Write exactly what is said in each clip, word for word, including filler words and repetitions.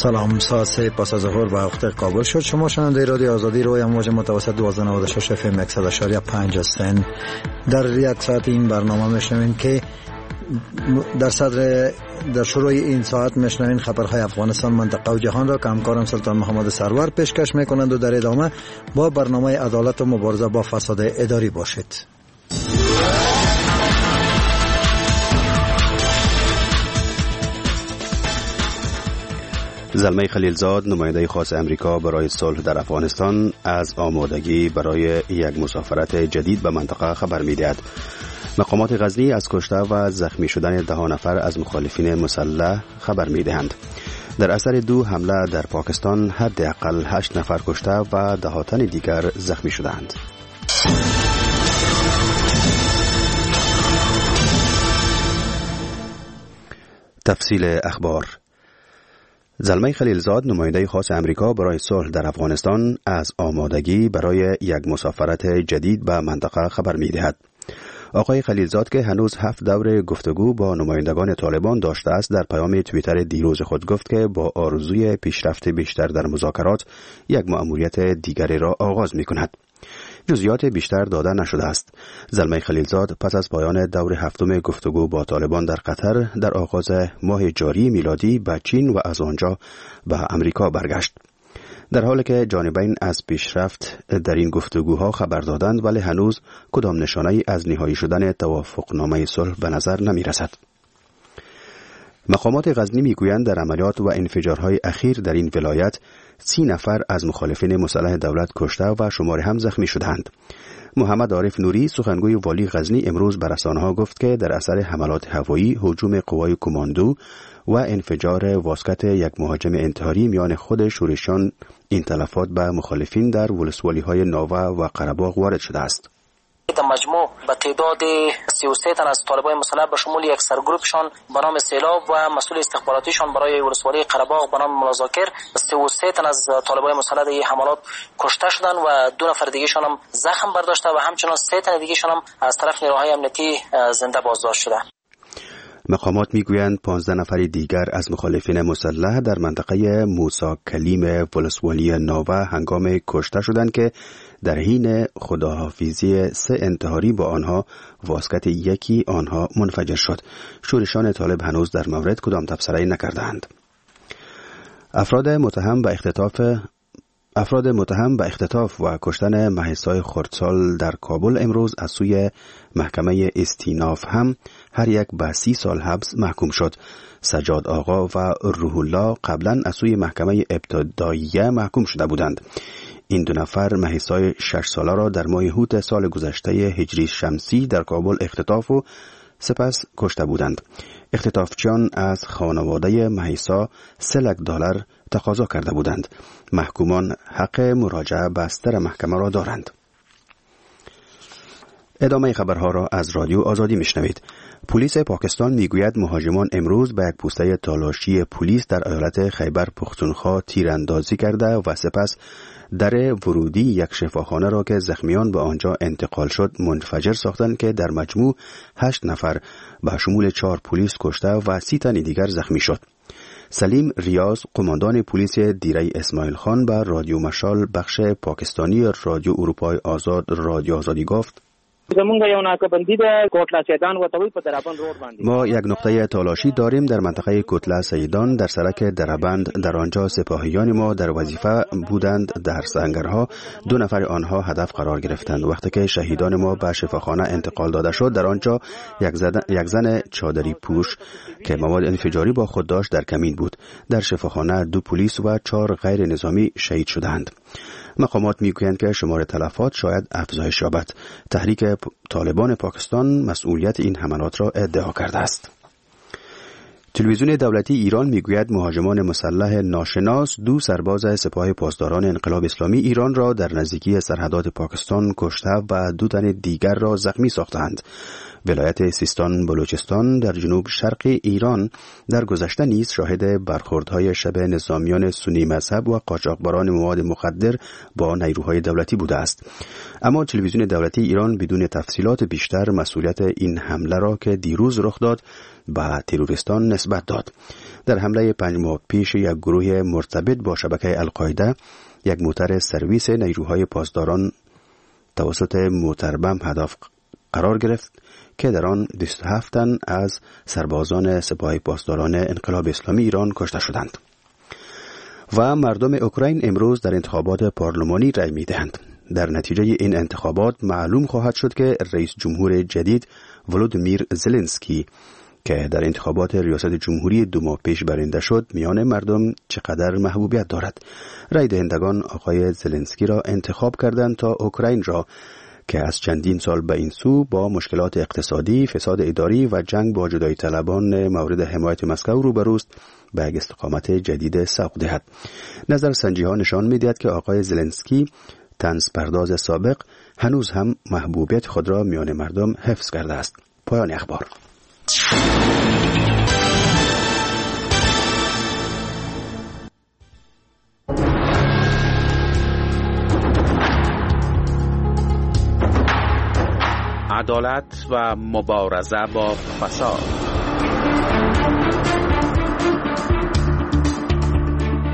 سلام، ساعت سه پس از ظهر به وقت کابل شد. شما شنونده رادیو آزادی روی امواج متوسط دوازده نود و شش اف ام صد و پنج هستند. در یک ساعت این برنامه میشنوین که در صدر در شروع این ساعت میشنوین خبرهای افغانستان، منطقه و جهان را که همکارم سلطان محمد سرور پیشکش میکنند و در ادامه با برنامه عدالت و مبارزه با فساد اداری باشید. زلمی خلیلزاد، نماینده خاص امریکا برای صلح در افغانستان، از آمادگی برای یک مسافرت جدید به منطقه خبر می‌دهد. مقامات غزنی از کشته و زخمی شدن ده نفر از مخالفین مسلح خبر می‌دهند. در اثر دو حمله در پاکستان حداقل هشت نفر کشته و ده تن دیگر زخمی شدند. تفصیل اخبار. زلمی خلیلزاد، نماینده خاص امریکا برای صلح در افغانستان، از آمادگی برای یک مسافرت جدید به منطقه خبر می‌دهد. آقای خلیلزاد که هنوز هفت دور گفتگو با نمایندگان طالبان داشته است، در پیام توییتر دیروز خود گفت که با آرزوی پیشرفت بیشتر در مذاکرات یک مأموریت دیگری را آغاز می‌کند. جزئیات بیشتر داده نشده است. زلمی خلیلزاد پس از پایان دور هفتم گفتگو با طالبان در قطر در آغاز ماه جاری میلادی به چین و از آنجا به امریکا برگشت. در حالی که جانبین از پیشرفت در این گفتگوها خبر دادند، ولی هنوز کدام نشانه‌ای از نهایی شدن توافقنامه صلح به نظر نمی رسد. مقامات غزنی میگویند در عملیات و انفجارهای اخیر در این ولایت سی نفر از مخالفین مسلح دولت کشته و شمار هم زخمی شدند. محمد عارف نوری، سخنگوی والی غزنی، امروز به رسانه‌ها گفت که در اثر حملات هوایی، هجوم قوای کماندو و انفجار واسکت یک مهاجم انتحاری میان خود شورشیان، این تلفات به مخالفین در ولسوالی‌های ناوه و قره‌باغ وارد شده است. در مجموع به تعداد سی و سه تن از طالبان مسلح به شمول یک سرگروپشان به نام سیلاب و مسئول استخباراتیشان برای ولسوالی قره‌باغ به نام ملازاکر، سی و سه تن از طالبان مسلح در این حملات کشته شدند و دو نفر دیگه‌شان هم زخم برداشته و همچنان سه تن دیگه‌شان هم از طرف نیروهای امنیتی زنده بازداشت شده. مقامات میگویند پانزده نفر دیگر از مخالفین مسلح در منطقه موسی کلیم ولسوالی ناوه هنگام کشته شدند که در حین خداحافظی سه انتحاری با آنها واسکت یکی آنها منفجر شد. شورشان طالب هنوز در مورد کدام تبصره نکردند. افراد متهم به اختطاف افراد متهم به اختطاف و کشتن مهسای خردسال در کابل امروز از سوی محکمه استیناف هم هر یک به سی سال حبس محکوم شد. سجاد آقا و روح الله قبلا از سوی محکمه ابتداییه محکوم شده بودند. این دو نفر مهسای شش ساله را در ماه حوت سال گذشته هجری شمسی در کابل اختطاف و سپس کشته بودند. اختطافچیان از خانواده مهسا سه لک دلار تقاضا کرده بودند. محکومان حق مراجعه به ستر محکمه را دارند. ادامه خبرها را از رادیو آزادی میشنوید. پلیس پاکستان میگوید مهاجمان امروز به یک پوسته تالاشی پلیس در ایالت خیبر پختونخوا تیراندازی کرده و سپس در ورودی یک شفاخانه را که زخمیان به آنجا انتقال شد منفجر ساختند که در مجموع هشت نفر به شمول چهار پلیس کشته و سی تن دیگر زخمی شد. سلیم ریاض، قماندان پلیس دیره اسماعیل خان، به رادیو مشال بخش پاکستانی رادیو اروپای آزاد رادیو آزادی گفت: ما یک نقطه تالاشی داریم در منطقه کوتله سیدان در سرک دربند. در آنجا سپاهیان ما در وظیفه بودند. در سنگرها دو نفر آنها هدف قرار گرفتند. وقتی که شهیدان ما به شفاخانه انتقال داده شد، در آنجا یک زن, یک زن چادری پوش که مواد انفجاری با خود داشت در کمین بود. در شفاخانه دو پلیس و چهار غیر نظامی شهید شدند. مقامات میگویند که شمار تلفات شاید افزایش یابد. تحریک طالبان پاکستان مسئولیت این حملات را ادعا کرده است. تلویزیون دولتی ایران میگوید مهاجمان مسلح ناشناس دو سرباز سپاه پاسداران انقلاب اسلامی ایران را در نزدیکی سرحدات پاکستان کشته و دو تن دیگر را زخمی ساختند. ولایت سیستان بلوچستان در جنوب شرق ایران در گذشته نیز شاهد برخوردهای شب نظامیان سنی مذهب و قاچاقبران مواد مخدر با نیروهای دولتی بوده است. اما تلویزیون دولتی ایران بدون تفصیلات بیشتر مسئولیت این حمله را که دیروز رخ داد به تروریستان نسبت داد. در حمله پنج ماه پیش یک گروه مرتبط با شبکه القاعده یک موتر سرویس نیروهای پاسداران توسط موتربم هدف قرار گرفت که در آن بیست و هفت تن از سربازان سپاه پاسداران انقلاب اسلامی ایران کشته شدند. و مردم اوکراین امروز در انتخابات پارلمانی رأی می‌دهند. در نتیجه این انتخابات معلوم خواهد شد که رئیس جمهور جدید ولودیمیر زلنسکی که در انتخابات ریاست جمهوری دو ماه پیش برنده شد میان مردم چقدر محبوبیت دارد. رای دهندگان آقای زلنسکی را انتخاب کردند تا اوکراین را که از چندین سال به این سو با مشکلات اقتصادی، فساد اداری و جنگ با جدایی طلبان مورد حمایت مسکو روبروست به یک استقامت جدید سوق دهد. نظر سنجی ها نشان می‌دهد که آقای زلنسکی طنز پرداز سابق هنوز هم محبوبیت خود را میان مردم حفظ کرده است. پایان اخبار. عدالت و مبارزه با فساد.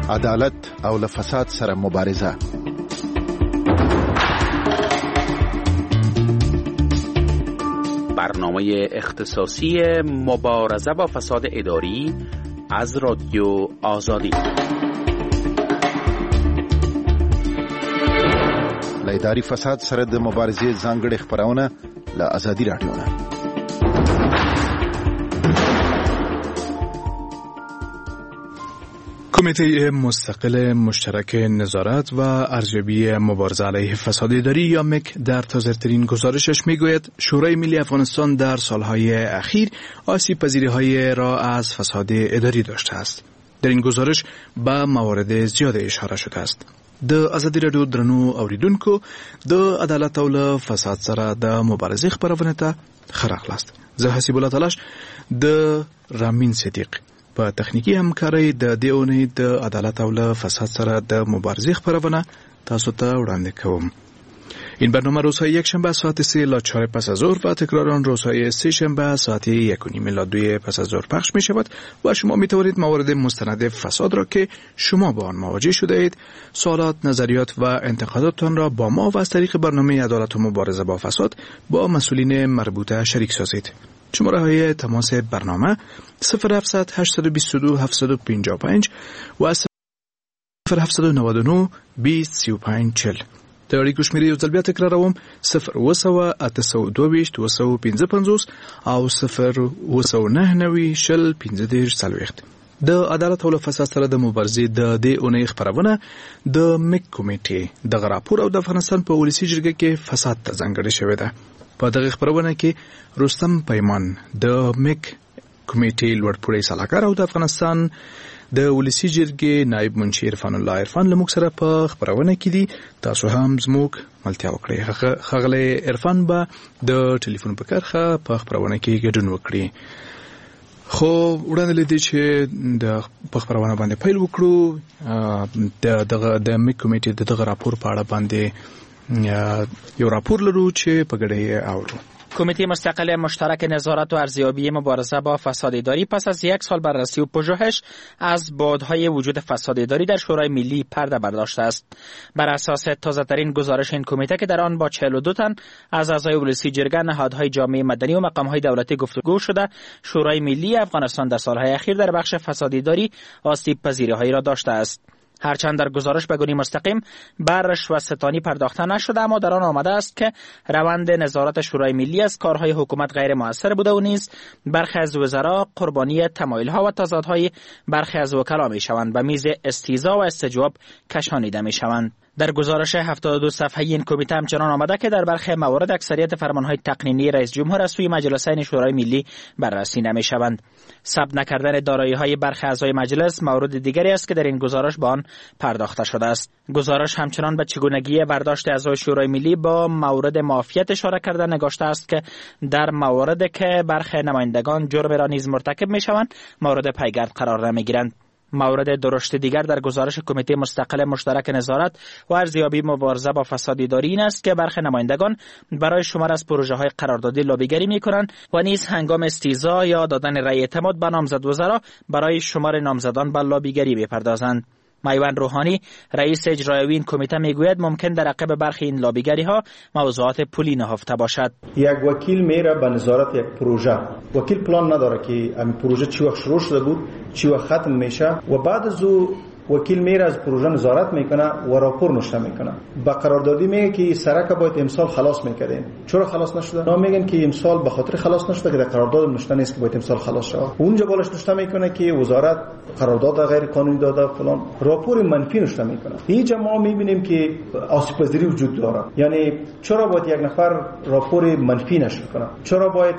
عدالت او له فساد سره مبارزه. برنامه اختصاصی مبارزه با فساد اداری از رادیو آزادی. له اداري فساد سره د مبارزې ځانګړې خپرونه له ازادي راډیو نه. کمیته مستقل مشترک نظارت و ارزیابی مبارزه علیه فساد اداری یا مک در تازه‌ترین گزارشش میگوید شورای ملی افغانستان در سالهای اخیر آسیب پذیری‌های را از فساد اداری داشته است. در این گزارش به موارد زیاد اشاره شده است. د ازادي راډیو درنو اوریدونکو د عدالت او له فساد سره د مبارزې خپرونې ته ښه راغلاست. زه حسیب الله تلاش د رامین صدیق په تخنیکي همکارۍ د دې اونۍ د عدالت او له فساد سره د مبارزې خپرونه تاسو ته وړاندې کوم. این برنامه روزهای یک شنبه ساعت سه الی چهار پس از ظهر و تکرار آن روزهای سه شنبه ساعت یک و نیم الی دو پس از ظهر پخش می شود و شما می توانید موارد مستند فساد را که شما با آن مواجه شده اید، سوالات، نظریات و انتقاداتتان را با ما و از طریق برنامه عدالت و مبارزه با فساد با مسئولین مربوطه شریک سازید. شماره های تماس برنامه صفر هفت صفر هشت دو دو هفت پنج پنج و صفر هفت نه نه بیست سی و پنج چهل. د اړیکو شمېرې یو ځل بیا تکراروم: صفر اووه سوه اته سوه دوه ویشت اووه سوه پنځه پنځوس او صفر اووه سوه نهه نوي شل پنځه دېرش څلوېښت. د عدالت او له فساد سره د مبارزې د دې اونۍ خپرونه د مک کمیټې دغه راپور او د افغانستان په ولسي جرګه کې فساد ته ځانګړې شوې ده. په دغه خپرونه کې رستم پیمان د مک کمیټې لوړپوړی سلاکار او د افغانستان د ولسی جرګې نایب منشي عرفان الله عرفان له موږ سره په خپرونه کې دي. تاسو هم زموږ ملتیا وکړئ. ښاغلی عرفان به د ټلیفون په کرښه په خپرونه کې ګډون وکړي. خو وړاندې له دې چې د په خپرونه باندې پیل وکړو، د دغه د مک کمیټې د دغه راپور په اړه باندې یو راپور لرو چې په ګډه یې اورو. کمیته مستقل مشترک نظارت و ارزیابی مبارزه با فساد اداری پس از یک سال بررسی و پژوهش از بعدهای وجود فساد اداری در شورای ملی پرده برداشته است. بر اساس تازه‌ترین گزارش این کمیته که در آن با چهل و دو تن از اعضای ولسی جرگه، نهادهای جامعه مدنی و مقام‌های دولتی گفتگو شده، شورای ملی افغانستان در سالهای اخیر در بخش فساد اداری آسیب پذیری‌هایی را داشته است. هرچند در گزارش به گونه مستقیم بر رشوه ستانی پرداخته نشده، اما در آن آمده است که روند نظارت شورای ملی از کارهای حکومت غیر مؤثر بوده و نیز برخی از وزرا قربانی تمایل‌ها و تضادهای برخی از وکلا می‌شوند و میز استیضاح و استجواب کشانیده می‌شوند. در گزارش هفتاد و دو صفحه‌ای این کمیته همچنان آمده که در برخی موارد اکثریت فرمان‌های تقنینی رئیس جمهور از سوی مجلسین شورای ملی بررسی نمی‌شوند. ثبت نکردن دارایی‌های برخی اعضای مجلس مورد دیگری است که در این گزارش به آن پرداخته شده است. گزارش همچنان به چگونگی برداشت اعضای شورای ملی با مورد معافیت اشاره کرده نگاشته است که در موارد که برخی نمایندگان جرم را نیز مرتکب می‌شوند مورد پیگرد قرار نمی‌گیرند. مورد درشت دیگر در گزارش کمیته مستقل مشترک نظارت و ارزیابی مبارزه با فساد اداری این است که برخی نمایندگان برای شمار از پروژه های قراردادی لابیگری میکنند و نیز هنگام استیضاح یا دادن رأی اعتماد به نامزد وزرا برای شمار نامزدان به لابیگری بپردازند. میوند روحانی، رئیس اجرایی این کمیته، میگوید ممکن در عقب برخی این لابیگری ها موضوعات پولی نهفته باشد. یک وکیل میره به نظارت یک پروژه، وکیل پلان نداره که این پروژه چی وقت شروع شده بود، چی وقت ختم میشه و بعد از او وکیل میره از پروژه نظارت میکنه و راپور نوشته میکنه. با قراردادی میگه که سرک باید امسال خلاص میکردیم، چرا خلاص نشده؟ نه، میگن که امسال به خاطر خلاص نشده که در قرارداد نوشته نیست که باید امسال خلاص شود. اونجا بالاش نوشته میکنه که وزارت قرارداد غیر قانونی داده فلان، راپور منفی نوشته میکنه. اینجا ما میبینیم که آسیب پذیری وجود داره. یعنی چرا باید یک نفر راپور منفی نشر کنه؟ چرا باید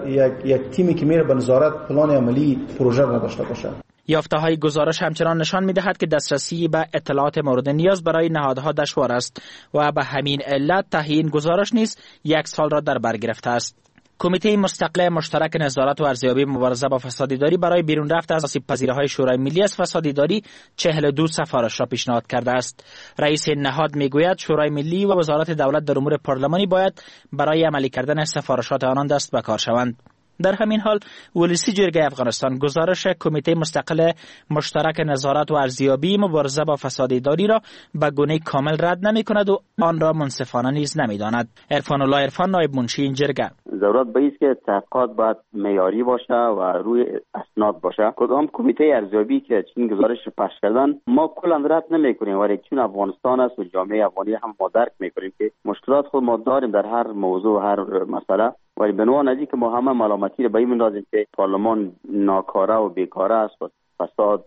یک یک تیمی که میره به نظارت پلان عملی پروژه نداشته باشه؟ یافته های گزارش همچنان نشان می دهد که دسترسی به اطلاعات مورد نیاز برای نهادها دشوار است و به همین علت تهیه این گزارش نیز یک سال را در بر گرفته است. کمیته مستقل مشترک نظارت و ارزیابی مبارزه با فساد اداری برای بیرون رفت از آسیب پذیری های شورای ملی از فساد اداری چهل و دو سفارش را پیشنهاد کرده است. رئیس نهاد میگوید شورای ملی و وزارت دولت در امور پارلمانی باید برای عملی کردن سفارشات آنان دست به کار شوند. در همین حال، ولسی جرگه افغانستان گزارش کمیته مستقل مشترک نظارت و ارزیابی مبارزه با فساد اداری را به گونه کامل رد نمی کند و آن را منصفانه نیز نمی داند. عرفان الله عرفان، نایب منشی این جرگه: ضرورت به که تحقیقات باید معیاری باشه و روی اسناد باشه. کدام کمیته ارزیابی که چنین گزارش پخش کردن، ما کلا رد نمیکنیم، ولی چون افغانستان است و جامعه افغانی هم ما درک میکنیم که مشکلات خود ما داریم در هر موضوع و هر مسئله، ولی به عنوان از که ما همه ملامتی رو به این میندازیم که پارلمان ناکاره و بیکاره است و فساد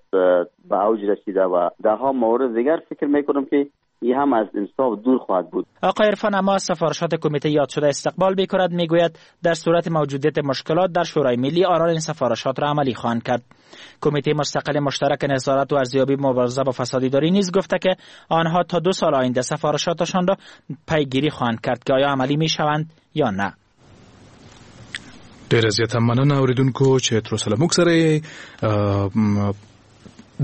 به اوج رسیده و ده ها مورد دیگر، فکر میکنم که این هم از انصاف دور خواهد بود. آقای عرفان اما از سفارشات کمیته یاد شده استقبال میکند. میگوید در صورت موجودیت مشکلات در شورای ملی، آنان این سفارشات را عملی خواهند کرد. کمیته مستقل مشترک نظارت و ارزیابی مبارزه با فساد اداری نیز گفته که آنها تا دو سال آینده سفارشاتشان را پیگیری خواهند کرد که آیا عملی میشوند یا نه. ډیره زیاته مننه اوریدونکو چې تر اوسه موږ سره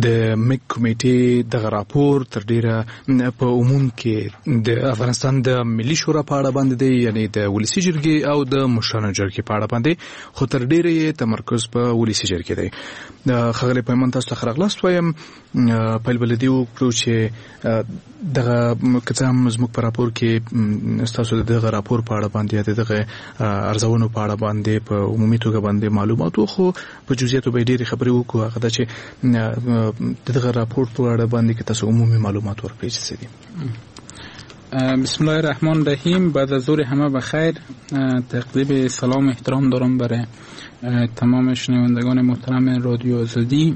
د میک کمیټې دغه راپور تر ډیره په عموم کې د افغانستان د ملي شورا په اړه باندې دی، یعنی د ولسی جرګې او د مشرانو جرګې په اړه باندې، خو تر ډیره یې تمرکز په ولسی جرګې دی. ښاغلی پیمان، تاسو ته ښه راغلاست وایم. پیل به له دې وکړو چې دغه که څه هم زموږ په راپور کې ستاسو د دغه راپور په اړه باندې، د دغه ارزونو په اړه باندې په عمومي توګه باندې معلومات وو، خو په جزئیاتو به ډېرې خبرې وکړو. هغه دا چې د دغه راپور په اړه باندې که تاسو عمومي معلومات ورکړئ چې څه دي. بسم الله الرحمن الرحیم. بعد از ظهر همه بخیر. تقدیم سلام و احترام دارم برای تمام شنوندگان محترم رادیو آزادی.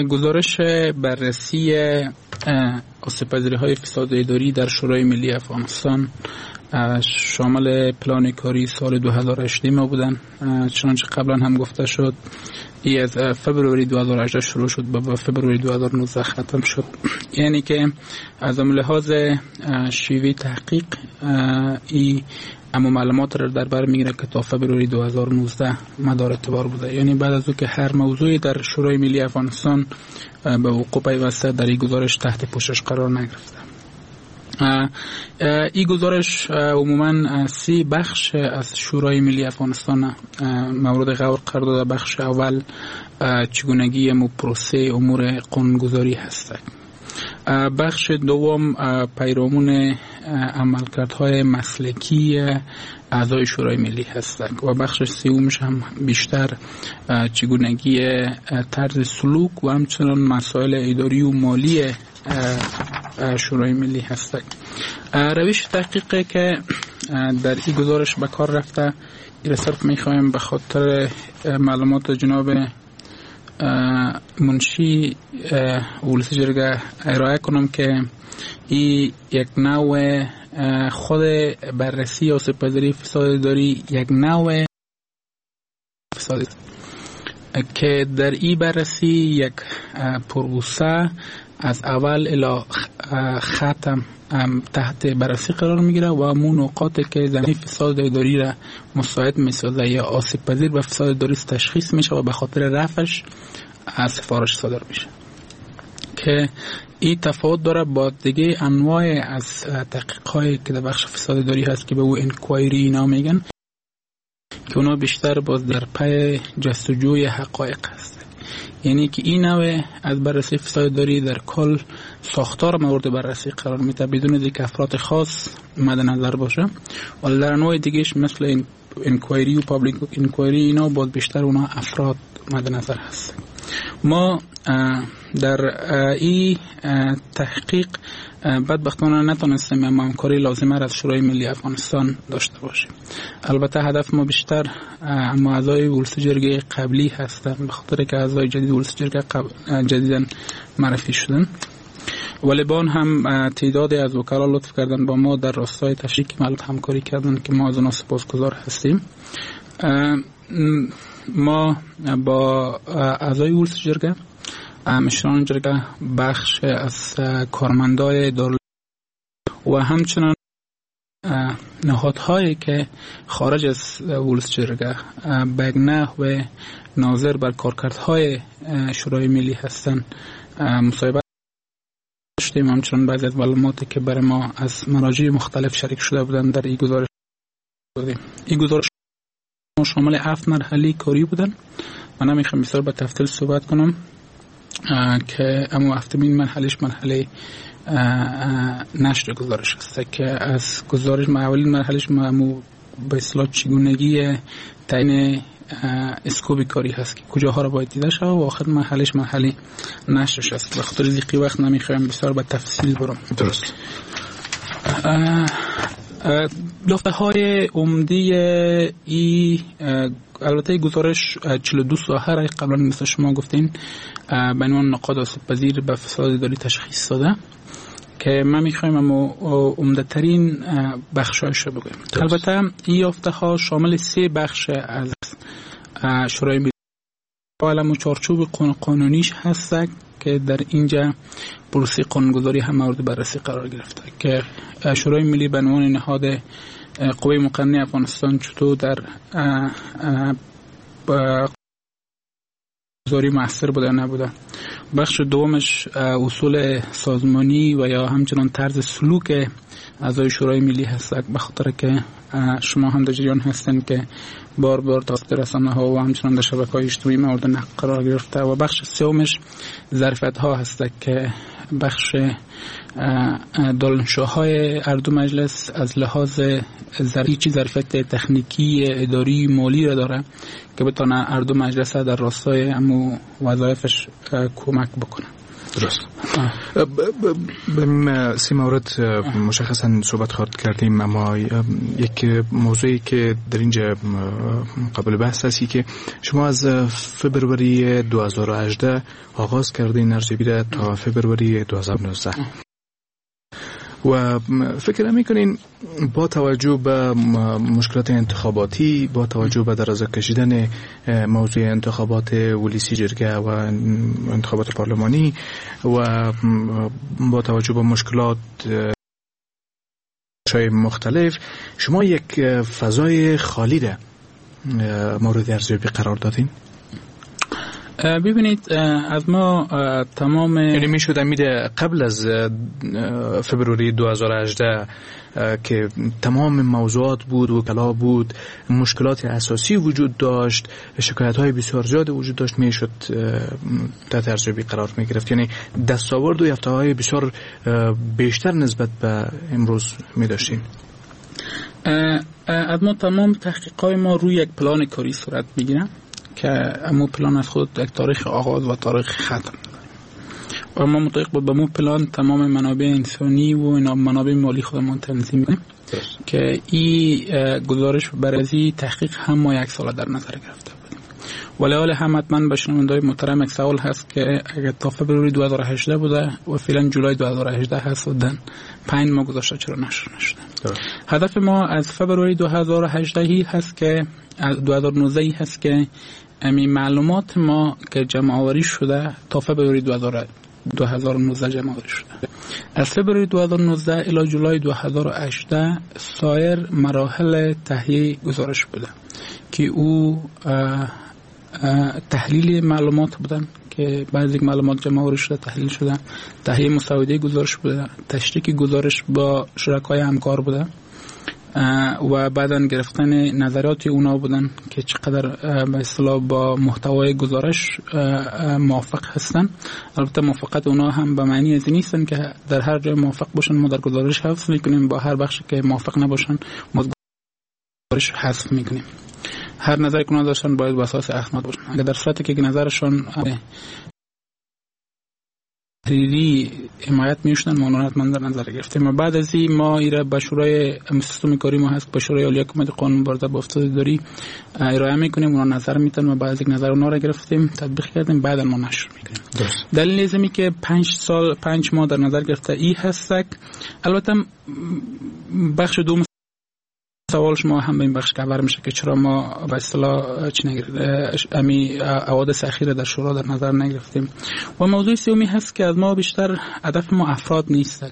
گزارش بررسی آسیب‌پذیری های فساد اداری در شورای ملی افغانستان شامل پلان کاری سال دو هزار و هجده ما بودن. چنانچه قبلا هم گفته شد، ای از فبروری دو هزار و هجده شروع شد و با فبروری دو هزار و نوزده ختم شد. یعنی که از لحاظ شیوه تحقیق ای اما معلومات را در بر میگیره که تا فبروری دو هزار و نوزده مدار اعتبار بوده، یعنی بعد از او که هر موضوعی در شورای ملی افغانستان به وقوع پیوسته، در این گزارش تحت پوشش قرار نگرفته. این گزارش عموما سه بخش از شورای ملی افغانستان مورد غور قرار داده. بخش اول چگونگی مو پروسه امور قانونگذاری هست. بخش دوم پیرامون عملکردهای مسلکی اعضای شورای ملی هستند و بخش سومش هم بیشتر چگونگی طرز سلوک و همچنان مسائل اداری و مالی شورای ملی هستند. روش تحقیقی که در این گزارش به کار رفته، این صرف میخوایم به خاطر معلومات جناب منشی ولسی جرگه ارائه کنم که این یک نوع خود بررسی آسیب پذیری فساد اداری، یک نوع فساد که در این بررسی یک پروسه از اول الی ختم تحت بررسی قرار میگیره و همون نقاطی که زمینه فساد اداری را مساعد میسازه یا آسیب پذیر به فساد اداری تشخیص میشه و به خاطر رفعش سفارش صادر میشه که این تفاوت داره با دیگه انواع از تحقیق هایی که در بخش فساد اداری هست که به او inquiry اینا میگن که اونا بیشتر باز در پی جستجوی حقایق هست. یعنی که این نوع از بررسی فساد اداری در کل ساختار مورد بررسی قرار میده بدون اینکه افراد خاص مد نظر باشه. ولی در انواع دیگهش مثل inquiry و public inquiry اینا باز بیشتر اونا افراد مد نظر هست. ما در این تحقیق بدبختانه نتونستیم اما همکاری لازمه را از شورای ملی افغانستان داشته باشیم. البته هدف ما بیشتر اما اعضای ولس جرگه قبلی هستند، به خاطر که اعضای جدید ولس جرگه قبل جدیداً معرفی شدن، ولی با آن هم تعدادی از وکلا لطف کردن با ما در راستای تشریک معلومات همکاری کردن که ما از آنها سپاسگزار هستیم. ما با اعضای ولس جرگه، مشران جرگه، بخش از کارمندای دارالعلوم و همچنان نهادهایی که خارج از ولس جرگه به یک نحو ناظر بر کارکردهای شورای ملی هستند مصاحبه داشتیم. همچنان بعضی از معلوماتی که برای ما از مراجع مختلف شریک شده بودند در این گزارش دادیم. این گزارش شامل هفت مرحله کاری بودن. من نمیخوام بسیار به تفصیل صحبت کنم که اما هفتمین مرحلهش مرحله نشر گزارش است که از گزارش ما اولین مرحلهش ما به اصطلاح چگونگی تعیین اسکوب کاری هست که کجاها را باید دیده شود و آخر مرحلهش مرحله نشرش است. به خاطر ضیقی وقت نمیخوایم بسیار به تفصیل برم. درست. یافته های عمده ای البته گزارش چهل و دو ساحه را قبلا مثل شما گفتین به عنوان نقاط آسیب پذیر به فساد اداری تشخیص داده که ما میخوایم اما عمده ترین بخشایش رو بگویم. البته این یافته ها شامل سه بخش از شورای ملی و چارچوب قانونیش هست که در اینجا پروسه قانونگذاری هم مورد بررسی قرار گرفته که شورای ملی به عنوان نهاد قوه مقننه افغانستان چطور در گذاری مؤثر بوده نبوده. بخش دومش اصول سازمانی و یا همچنان طرز سلوک اعضای شورای ملی هست، به خاطر که شما هم در جریان هستین که بار بار توسط رسانه ها و همچنان در شبکه‌های اجتماعی مورد نقد قرار گرفته. و بخش سومش ظرفیت ها هست که بخش دانشجوهای هر دو مجلس از لحاظ ظرفیت ظرفیت تکنیکی، اداری، مالی را داره که بتونه هر دو مجلس در راستای امو وظایفش کمک بکنه. درست. به سی مورد مشخصا صحبت خواهد کردیم، اما یک موضوعی که در اینجا قابل بحث هستی که شما از فبروری دو هزار و هجده آغاز کردین ارزیابی را تا فبروری دو هزار و نوزده و فکر میکنین با توجه به مشکلات انتخاباتی، با توجه به درازا کشیدن موضوع انتخابات ولسی جرگه و انتخابات پارلمانی و با توجه به مشکلات مختلف، شما یک فضای خالی را مورد ارزیابی قرار دادین؟ ببینید از ما تمام، یعنی میشد امید قبل از فبروری دو هزار و هجده که تمام موضوعات بود، وکلا بود، مشکلات اساسی وجود داشت، شکایت های بسیار زیاد وجود داشت، میشد تحت ارزیابی قرار میگرفت، یعنی دستاورد و یافته های بسیار بیشتر نسبت به امروز میداشتیم. از ما تمام تحقیقات ما روی یک پلان کاری صورت میگیره که امو پلان از خود یک تاریخ آغاز و تاریخ ختم و ما مطابق با مو پلان تمام منابع انسانی و منابع مالی خودمان تنظیم کنیم که این گزارش برای تحقیق هم ما یک سال در نظر گرفته بودیم. ولی حال هم حتما به شنونده‌های محترم یک سوال هست که اگر تا فبروری دو هزار و هجده بوده و فعلا جولای دو هزار و هجده هست و دن پنج ماه گذشته چرا نشر نشده؟ هدف ما از فبروری دو هزار و هجده هست که دو هزار و نوزده هست که امی معلومات ما که جمع آوری شده تا فبروری دو هزار دو هزار و نوزده جمع آوری شده. از فبروری دو هزار و نوزده الی جولای دو هزار و هجده سایر مراحل تهیه گزارش بوده که او تحلیل معلومات بودن که بعضی معلومات جمع آوری شده، تحلیل شده، تهیه مسوده گزارش بوده، تشریک گزارش با شرکای همکار بوده و بعداً گرفتن نظرات اونا بودن که چقدر به اصطلاح با محتوای گزارش موافق هستن. البته موافقت اونا هم به معنی از نیستن که در هر جای موافق باشن ما در گزارش حذف میکنیم، با هر بخشی که موافق نباشن ما گزارش حذف میکنیم. هر نظری که اونا داشتن باید به اساس اسناد باشن. اگر در صورتی که نظرشان تحریری حمایت میشدن ما اونها حتما در نظر گرفتیم. و بعد از این ما ایره به شورای سیستم کاری ما هست، به شورای عالی حکومت قانون مبارزه با فساد اداری ارائه میکنیم، اونا نظر میتن و بعد از یک نظر اونا را گرفتیم تطبیق کردیم، بعد ما نشر میکنیم. دلیل ازمی که پنج سال پنج ماه در نظر گرفته ای هستک. البته بخش دوم سوال شما هم به این بخش کور میشه که چرا ما به اصطلاح چی نگرفت امی حوادث اخیر در شورا در نظر نگرفتیم. و موضوع سومی هست که از ما بیشتر هدف ما افراد نیست،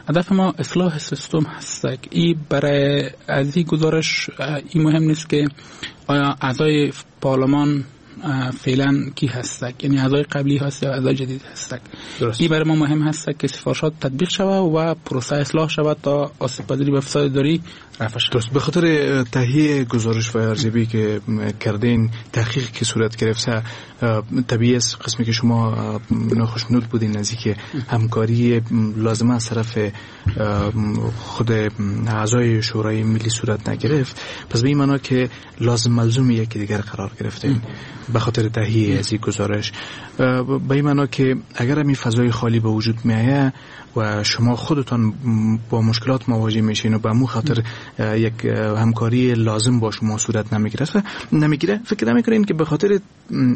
هدف ما اصلاح سیستم هست. ای برای از این گزارش این مهم نیست که آیا اعضای پارلمان فعلا کی هستک، یعنی اعضای قبلی هست یا اعضای جدید هستک. این برای ما مهم هست که سفارشات تطبیق شود و پروسه اصلاح شود تا آسیب پذیری به فساد اداری رفع شود. درست. به خاطر تهیه گزارش و ارزیابی که کردین، تحقیق که صورت گرفته، طبیعی است قسمی که شما ناخشنود بودین از اینکه همکاری لازمه از طرف خود اعضای شورای ملی صورت نگرفت، پس به این معنا که لازم ملزوم یکی دیگر قرار گرفتین به خاطر تهیه از این گزارش. به این معنا که اگر این فضای خالی به وجود میایه و شما خودتان با مشکلات مواجه میشین و به مو خاطر یک همکاری لازم با شما صورت نمیگیره نمیگیره فکر نمیکنین که به خاطر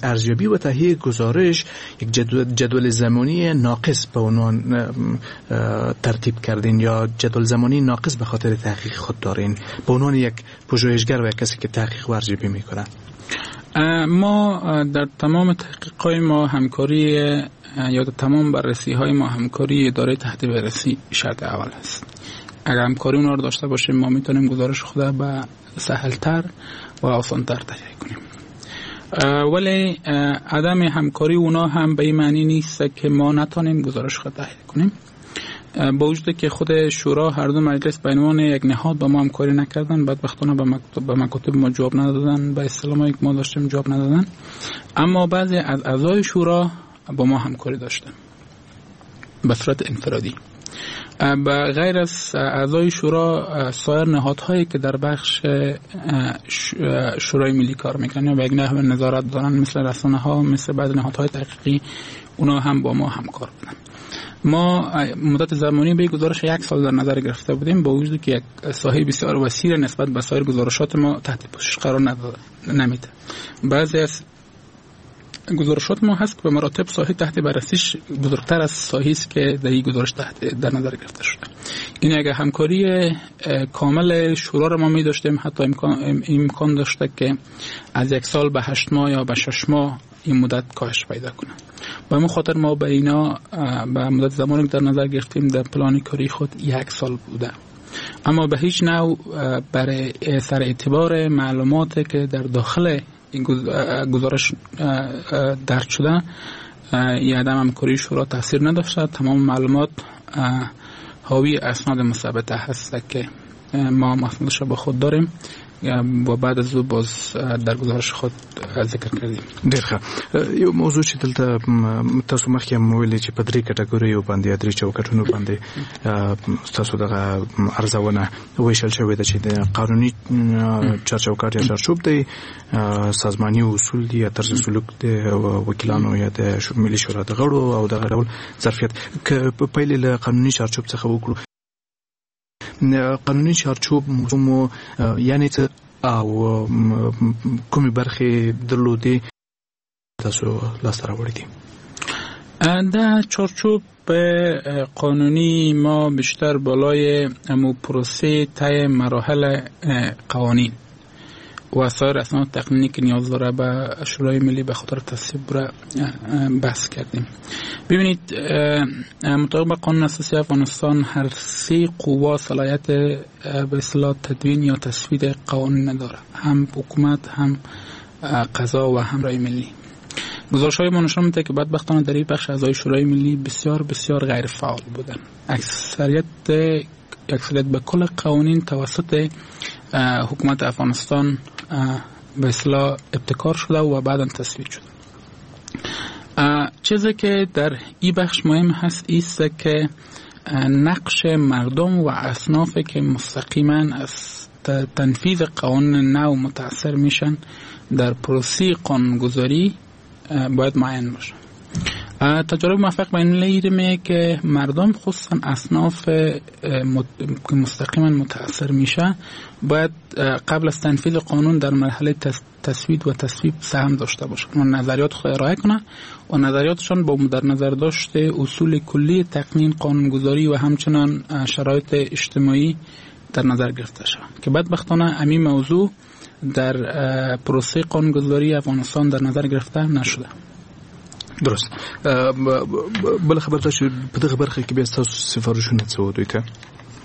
ارزیابی و تهیه گزارش یک جدول, جدول زمانی ناقص به عنوان ترتیب کردین یا جدول زمانی ناقص به خاطر تحقیق خود دارین به عنوان یک پژوهشگر و یک کسی که تحقیق و ارزیابی میکنه؟ ما در تمام تحقیق‌های ما همکاری یا در تمام بررسی‌های ما همکاری اداره تحت بررسی شرط اول است. اگر همکاری اونا رو داشته باشیم ما میتونیم گزارش خود به سهلتر و آسانتر تهیه کنیم. ولی عدم همکاری اونا هم به این معنی نیست که ما نتونیم گزارش خود تهیه کنیم. با وجود که خود شورا هر دو مجلس به عنوان یک نهاد با ما همکاری نکردن، بدبختانه به مکاتب ما جواب ندادن، به اصطلاح که ما داشتیم جواب ندادن، اما بعضی از اعضای شورا با ما همکاری داشتن به صورت انفرادی. به غیر از اعضای شورا سایر نهادهایی که در بخش شورای ملی کار میکنن یا به یک نحو نظارت دارن، مثل رسانه ها، مثل بعض نهادهای تحقیقی، اونا هم با ما همکار بودن. ما مدت زمانی به گزارش یک سال در نظر گرفته بودیم، با وجود که یک ساحه بسیار وسیع نسبت به سایر گزارشات ما تحت پوشش قرار نداده نمیده. بعضی از گزارشات ما هست که به مراتب ساحه تحت بررسیش بزرگتر از ساحه است که در این گزارش تحت در نظر گرفته شده. این اگر همکاری کامل شورا را ما می داشتیم، حتی امکان امکان داشته که از یک سال به هشت ماه یا به شش ماه این مدت کاهش پیدا کنه. به همون خاطر ما به اینا به مدت زمانی که در نظر گرفتیم در پلان کاری خود یک سال بوده، اما به هیچ نوع برای سر اعتبار معلومات که در داخل این گزارش درج شده یه عدم همکاری شورا تاثیر نداشته. تمام معلومات حاوی اسناد مثبته هست که ما اسنادش را با خود داریم و بعد از او باز در گزارش خود ذکر کردیم. ډیر ښه. یو موضوع چې دلته تاسو مخکې هم ویلې چې په درې کټګوریو باندې یا درې چوکاټونو باندې تاسو دغه ارزونه ویشل شوې ده چې د قانوني چارچوکاټ یا چارچوب دی، سازماني اصول دي یا طرز سلوک د وکیلانو یا د ملي شورا د غړو او دغه ډول ظرفیت. که پیل له قانوني چارچوب څخه وکړو، قانوني چارچوب مو یعنی څه او کومې برخې درلودې تاسو لاسته راوړې دي؟ دا چارچوب قانونی ما بیشتر بالای امو پروسه طی مراحل قوانین و سایر اسناد تقنینی که نیاز داره به شورای ملی به خاطر تصویب را بحث کردیم. ببینید، مطابق با قانون اساسی افغانستان هر سه قوا صلاحیت به اصطلاح تدوین یا تصویب قوانین نداره، هم حکومت، هم قضا و هم رای ملی. گزارش های ما نشان میده که بدبختانه در این بخش اعضای شورای ملی بسیار بسیار غیر فعال بودن. اکثریت اکثریت به کل قوانین توسط حکومت افغانستان به اصطلاح ابتکار شده و بعدا تصویب شده. چیزی که در این بخش مهم هست ایست که نقش مردم و اصناف که مستقیما از تنفیذ قوانین نو متاثر میشن در پروسه قانونگذاری باید معین باشه. تجارب موفق به این لیرمه که مردم خصوصا اصناف که مستقیما متاثر میشه باید قبل از تنفیذ قانون در مرحله تصویب و تصویب سهم داشته باشه، و نظریات خود ارائه کنه و نظریاتشان با در نظر داشت اصول کلی تقنین قانونگذاری و همچنان شرایط اجتماعی در نظر گرفته شود که بدبختانه همین موضوع در پروسه قانونگذاری افغانستان در نظر گرفته نشده. درست. بل خبر دا چې په دغه برخه کې بیا ستاسو سفارشونه څه وو دوی ته؟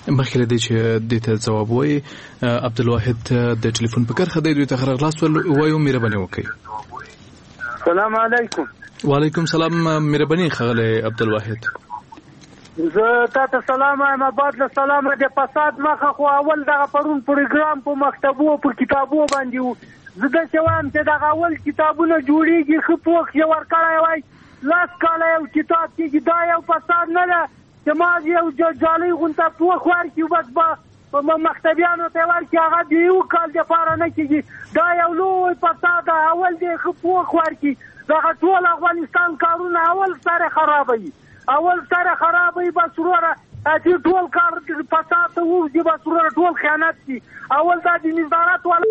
مخکې له دې چې دې ته ځواب وایي عبدالواحد د ټلیفون په کرښه دی، دوی ته ښه راغلاست وایو، مهرباني وکړئ. سلام علیکم. وعلیکم سلام، مهرباني ښاغلی عبدالواحد. زه تا ته سلام وایم، بعد له سلامه د فساد مخه خو اول دغه پرون پروګرام په مکتبو په کتابو باندې و. زه داسې وایم چې دغه اول کتابونه جوړېږي، ښه پوښ یې ورکړی وای، لس کاله یو کتاب کېږي. دا یو فساد نه ده چې ما یو جالۍ غونته پوښ ورکړي بس به مکتبیانو ته ورکړي، هغه د یو کال دپاره نه کېږي. دا یو لوی فساد ده، اول دې ښه پوښ ورکړي. دغه ټول افغانستان کارونه اول سره خرابوي، اول سره خرابوي. بس وروره چې ټول کار فساد ته ووځي، بس وروره ټول خیانت دي. اول دا د نظارت والا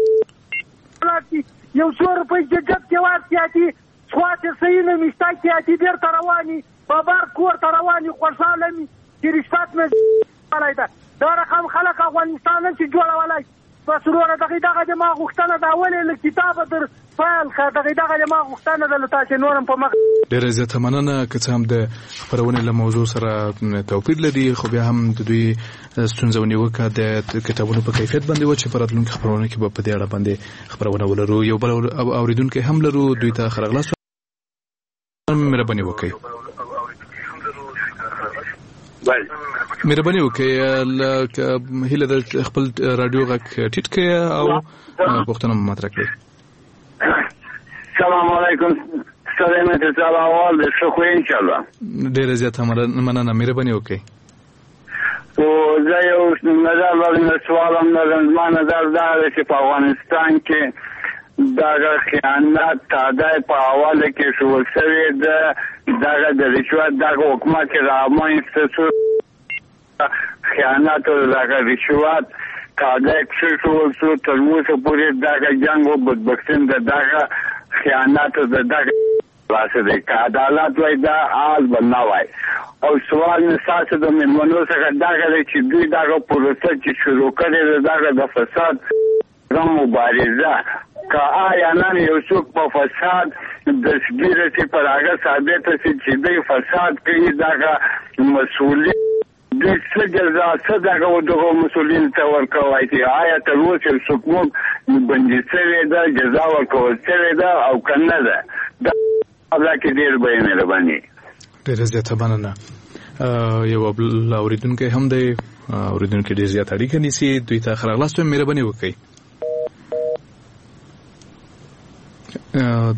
یو څو روپۍ چې جب کې ورکړي، اتي سوات صحیح نه مشته کې اتي بېرته رواني بابر کور ته رواني، خوشحاله مي چې رشوت مې کړی ده. دا رقم خلک افغانستان نه شي جوړولی. بس وروره دغه دغه د ما غوښتنه ده، اول یې له کتابه در پیل کړه، دغه دغه د ما غوښتنه ده له تاسې نور هم په مخ. ډېره زیاته مننه. که څه هم د خپرونې له موضوع سره توپیر لري، خو بیا هم د دوی ستونزه او نیوکه د کتابونو په کیفیت باندې وه چې په راتلونکي خپرونه کې به په دې اړه باندې خپرونه ولرو. یو بل اورېدونکی هم لرو، دوی ته ښه راغلاست، مهرباني وکړئ. مهرباني وکړئ، هیله ده خپل رادیو غږ ټیټ کړئ او پوښتنه مو مطرح کړئ. سلام علیکم، سلامت اول د ښه خو ان شاء الله. ډیره زیاته مننه، مهرباني وکړئ. او زه یو نظر لرم، سوال هم لرم. زما نظر دا دی چې په افغانستان کې دغه خیانت تادی په حواله کې ښوول شوې ده، دغه د رشوت دغه حکومت چې رامنځته شو، خیانت او دغه رشوت تادی کښېښوول شو، تر اوسه پورې دغه جنګ او بدبختي د دغه خیانت او د دغه لاسه دی. که عدالت وای دا حال به نه وای. او سوال مې ستاسو د مېلمنو څخه دغه دی چې دوی دغه پروسه چې شروع کړې ده، دغه د فساد مبارزه، که آیا نن یو څوک په فساد دستګیر شي، پر هغه ثابته شي چې دوی فساد کوي، دغه مسؤلیت دوی څه جزا څه دغه دغو مسؤلینو ته ورکولای شي؟ آیا تر اوسه یو څوک موږ بندي شوې ده، جزا ورکول شوې ده او که نه ده؟ دا کې ډېر به یې مهرباني. ډېره زیاته مننه. یو بل اورېدونکی هم دی، اورېدونکی ډېر زیات اړیکه نیسي، دوی ته ښه راغلاست وایم، مهرباني وکړئ.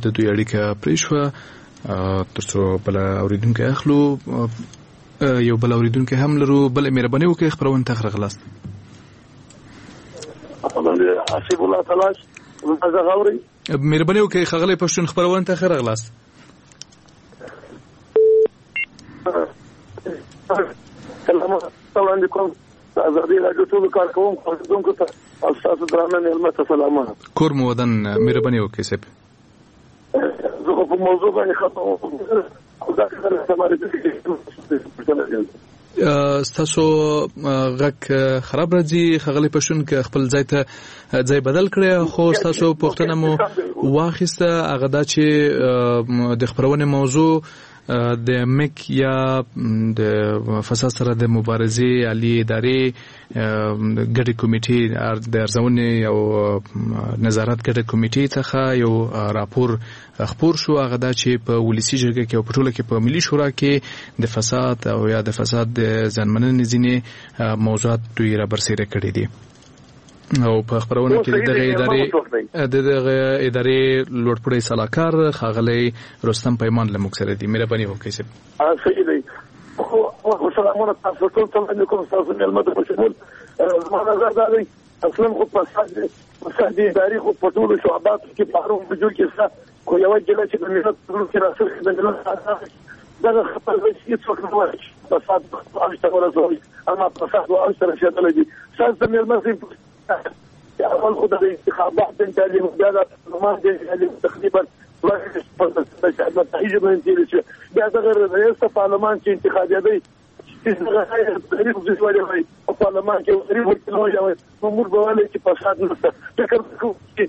د دوی اړیکه پرې شوه، ترڅو بل اورېدونکی اخلو. یو بل اورېدونکی هم لرو، بل مهرباني وکړئ، خپرونې ته ښه راغلاست. حسیب الله تلاش غوري، مهرباني وکړئ ښاغلی پښتون، خپرونې ته ښه راغلاست. سلام وړاندې کوم ازادي راډیو ټولو کارکوونکو اورېدونکو ته او ستاسو درانه مېلمه ته سلامونه. کور مو ودان، مهرباني وکړئ صاحب. زه خو په موضوع باندې خپه وم، خو دا څه معرفي. ستاسو غږ خراب راځي ښاغلی پښتون، که خپل ځای ته ځای بدل کړئ. خو ستاسو پوښتنه مو واخیسته، هغه دا چې د خپرونې موضوع د مک یا د فساد سره د مبارزې عالي ادارې ګډې کمیټې د ارزونې او نظارت ګډې کمیټې څخه یو راپور خپور شو، هغه دا چې په ولسي جرګه کې او په ټوله کې په ملي شورا کې د فساد او یا د فساد د زیانمننې ځینې موضوعات دوی را برسېره کړي دي. او په خپرونه کې د دغه ادارې د دغه ادارې لوړپوړی سلاکار ښاغلی رستم پیمان له موږ سره دی. مهرباني وکړئ صاحب. صحیح دی. خو سلامونه تاسو ټول ته وړاندې کوم، ستاسو مېلمه ته په شمول. زما نظر دا دی، اصلا خو فساد فساد اداري خو په ټولو شعباتو کې په هرو وجو کې شته، خو یوه ګیله چې د ملت په زړه کې راسري د ملت دغه خپل هیڅوک نه وایي چې فساد اوج ته ورسوي، اما فساد اوج ته رسېدلی دی. ستاسو د مېلمه صاحب اول خو د انتخابات جنجالي، بیا د پارلمان جنجالي، تقریبا نتایج به تېرې شوې، بیا دغه رئیس پارلمان چې انتخابېدی چې دغه غریب زوی وایي په پارلمان کې غریب وکیل وایي، نو موږ به وایو چې فساد نشته. فکر کوو چې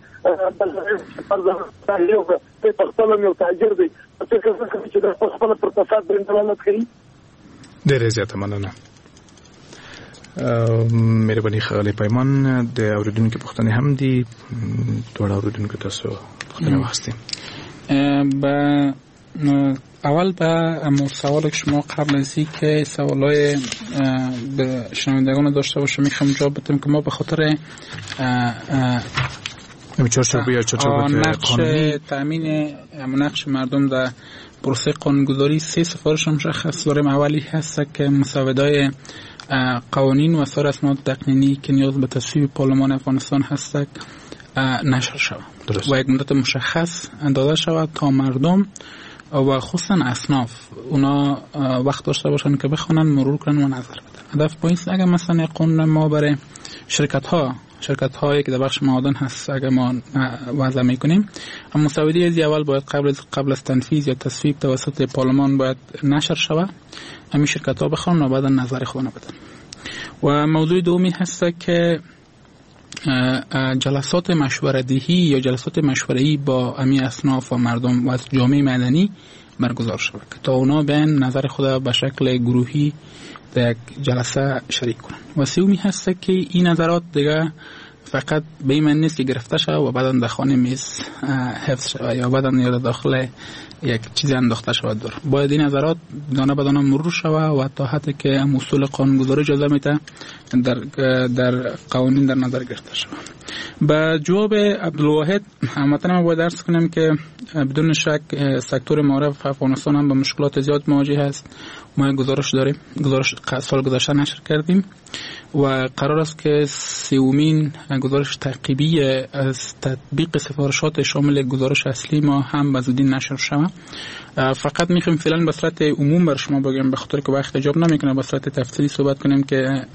یو په خپله یو تاجر دی، فکر نه کوي چې په خپله پر فساد باندې دلالت کوي. ډېره زیاته مننه. مهرباني ښاغلی پیمان. د اورېدونکو پوښتنې هم دي، دواړه اورېدونکو تاسو پوښتنې واخیستې. به اول به سوال که شما قبل از که سوالای به شنوندگان داشته باشه میخوام جواب بدم که ما به خاطر نقش تامین نقش مردم در پروسه قانونگذاری سه سفارش مشخص داریم. اولی هست که مسوده‌های قوانین و سایر اسناد تقنینی که نیاز به تصویب پارلمان افغانستان هست نشر شود و یک مدت مشخص داده شود تا مردم و خصوصا اصناف اونا وقت داشته باشن که بخونن، مرور کنن و نظر بدن. هدف با این اگر مثلا قانون ما برای شرکت ها شرکت هایی که در بخش معادن هست اگر ما وضع میکنیم، مسوده از اول باید قبل از قبل از تنفیذ یا تصویب توسط پارلمان باید نشر شود، همین شرکت ها بخوان و بعد نظر خودن بدن. و موضوع دومی هست که جلسات مشوره‌دهی یا جلسات مشوره‌ای با امی اصناف و مردم و از جامعه مدنی برگزار شود که تا اونا بیان نظر خود به شکل گروهی در یک جلسه شریک کنن. و سومی هست که این نظرات دیگه فقط به این معنی نیست که گرفته شود و بعدا در خانه میز حفظ شود یا بعدا یا داخل یک چیزی انداخته شود. دور باید این نظرات دانه به دانه مرور شود و تا حدی که اصول قانونگذاری اجازه میده در در قوانین در نظر گرفته شود. به جواب عبدالواحد هموطن ما باید عرض کنم که بدون شک سکتور معارف افغانستان هم به مشکلات زیاد مواجه است. ما یک گزارش داریم، گزارش سال گذشته نشر کردیم و قرار است که سومین گزارش تعقیبی از تطبیق سفارشات شامل گزارش اصلی ما هم به زودی نشر شود. فقط میخوایم فعلا به صورت عموم بر شما بگم، به خاطر که وقت اجاب نمیکنه به صورت تفصیلی صحبت کنیم که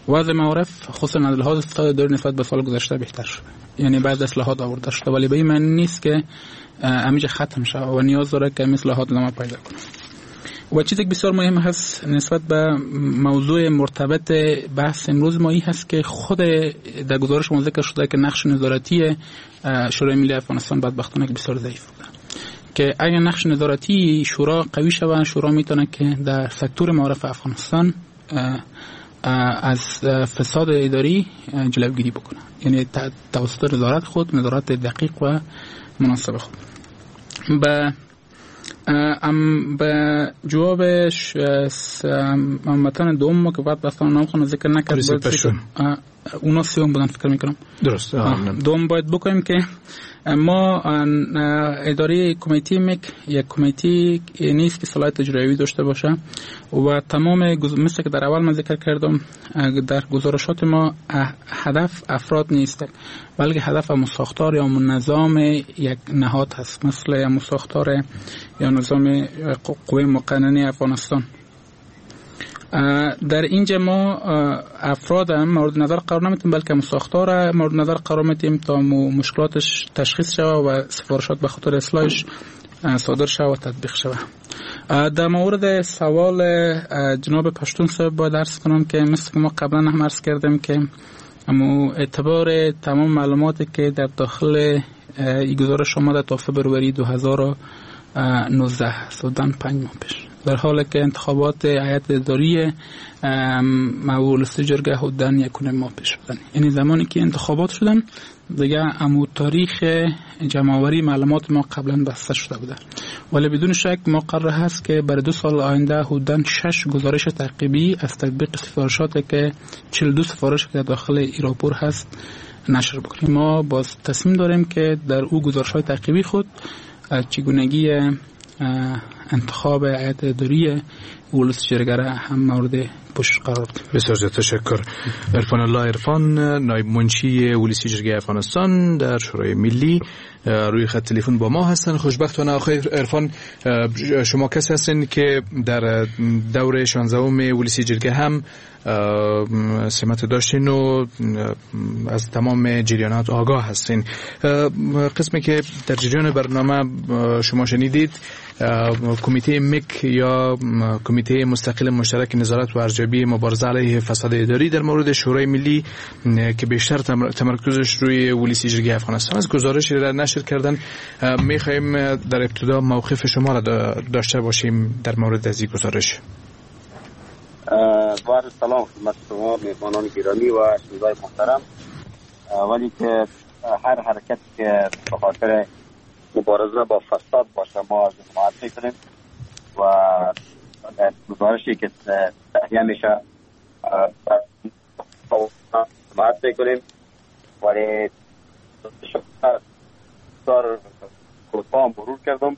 وضع معارف خصوصا از لحاظ فساد دور نسبت به سال گذشته بهتر شده، یعنی بعض اصلاحات آورده شده، ولی به این معنی نیست که همیشه ختم شده و نیاز داره که اصلاحات ادامه پیدا کنه. و چیزی که بسیار مهم هست نسبت به موضوع مرتبط بحث امروز ما این هست که خود در گزارش ما ذکر شده که نقش نظارتی شورای ملی افغانستان بدبختانه که بسیار ضعیف بوده، که اگر نقش نظارتی شورا قوی شود، شورا میتونه که در سکتور معارف افغانستان از فساد اداری جلوگیری بکنه، یعنی توسط نظارت خود، نظارت دقیق و مناسب خود. به ام به جوابش هموطن دوم ما که بعد بستان نام خونه ذکر نکرد، اونا سیوم بودن فکر میکنم. درست. دوم باید بکنیم که ما اداره کمیته مک یک کمیته نیست که صلاحیت اجرایی داشته باشه و تمام مثل که در اول من ذکر کردم در گزارشات ما هدف افراد نیست، بلکه هدف ساختار یا نظام یک نهاد هست، مثل ساختار یا نظام قوه مقننه افغانستان. در اینجا ما افراد هم مورد نظر قرار نمیتیم، بلکه ساختار مورد نظر قرار میتیم تا مشکلاتش تشخیص شود و سفارشات به خاطر اصلاحش صادر شود و تطبیق شود. در مورد سوال جناب پشتون صاحب باید عرض کنم که مثل که ما قبلا هم عرض کردیم که امو اعتبار تمام معلوماتی که در داخل ای گزارش آمده تا فبروری دو هزار و نوزده است، حدوداً پنج ماه پیش، در حالی که انتخابات هیئت اداری ولسی جرگه حدوداً یک و نیم ماه پیش بودن. یعنی زمانی که انتخابات شدن دیگه امو تاریخ جمع‌آوری معلومات ما قبلا بسته شده بوده، ولی بدون شک ما قرار هست که برای دو سال آینده حدوداً شش گزارش تعقیبی از تطبیق سفارشات که چهل و دو سفارش که در داخل ایراپور هست نشر بکنیم. ما باز تصمیم داریم که در او گزارش‌های تعقیبی خود چگونگی انتخاب هیئت اداری ولس جرگه را هم مورد پوشش قرار بدیم. بسیار زیاد تشکر. عرفان الله عرفان، نایب منشی ولسی جرگه افغانستان در شورای ملی، روی خط تلفن با ما هستن. خوشبختانه آقای عرفان، شما کسی هستین که در دور شانزدهم ولسی جرگه هم سمت داشتین و از تمام جریانات آگاه هستین. قسمی که در جریان برنامه شما شنیدید، کمیته مک یا کمیته مستقل مشترک نظارت و ارزیابی مبارزه علیه فساد اداری در مورد شورای ملی که بیشتر تمرکزش روی ولسی جرگه افغانستان است، گزارشی را نشر کردن. میخواهیم در ابتدا موقف شما را داشته باشیم در مورد از این گزارش. با عرض سلام خدمت شما میهمانان گرامی و شنوندگان محترم. ولی که هر حرکتی که به خاطر مبارزه با فساد باشه ما از حمایت میکنیم و گزارشی که تهیه میشه حمایت میکنیم، ولی بسیار کوتاه مرور کردم.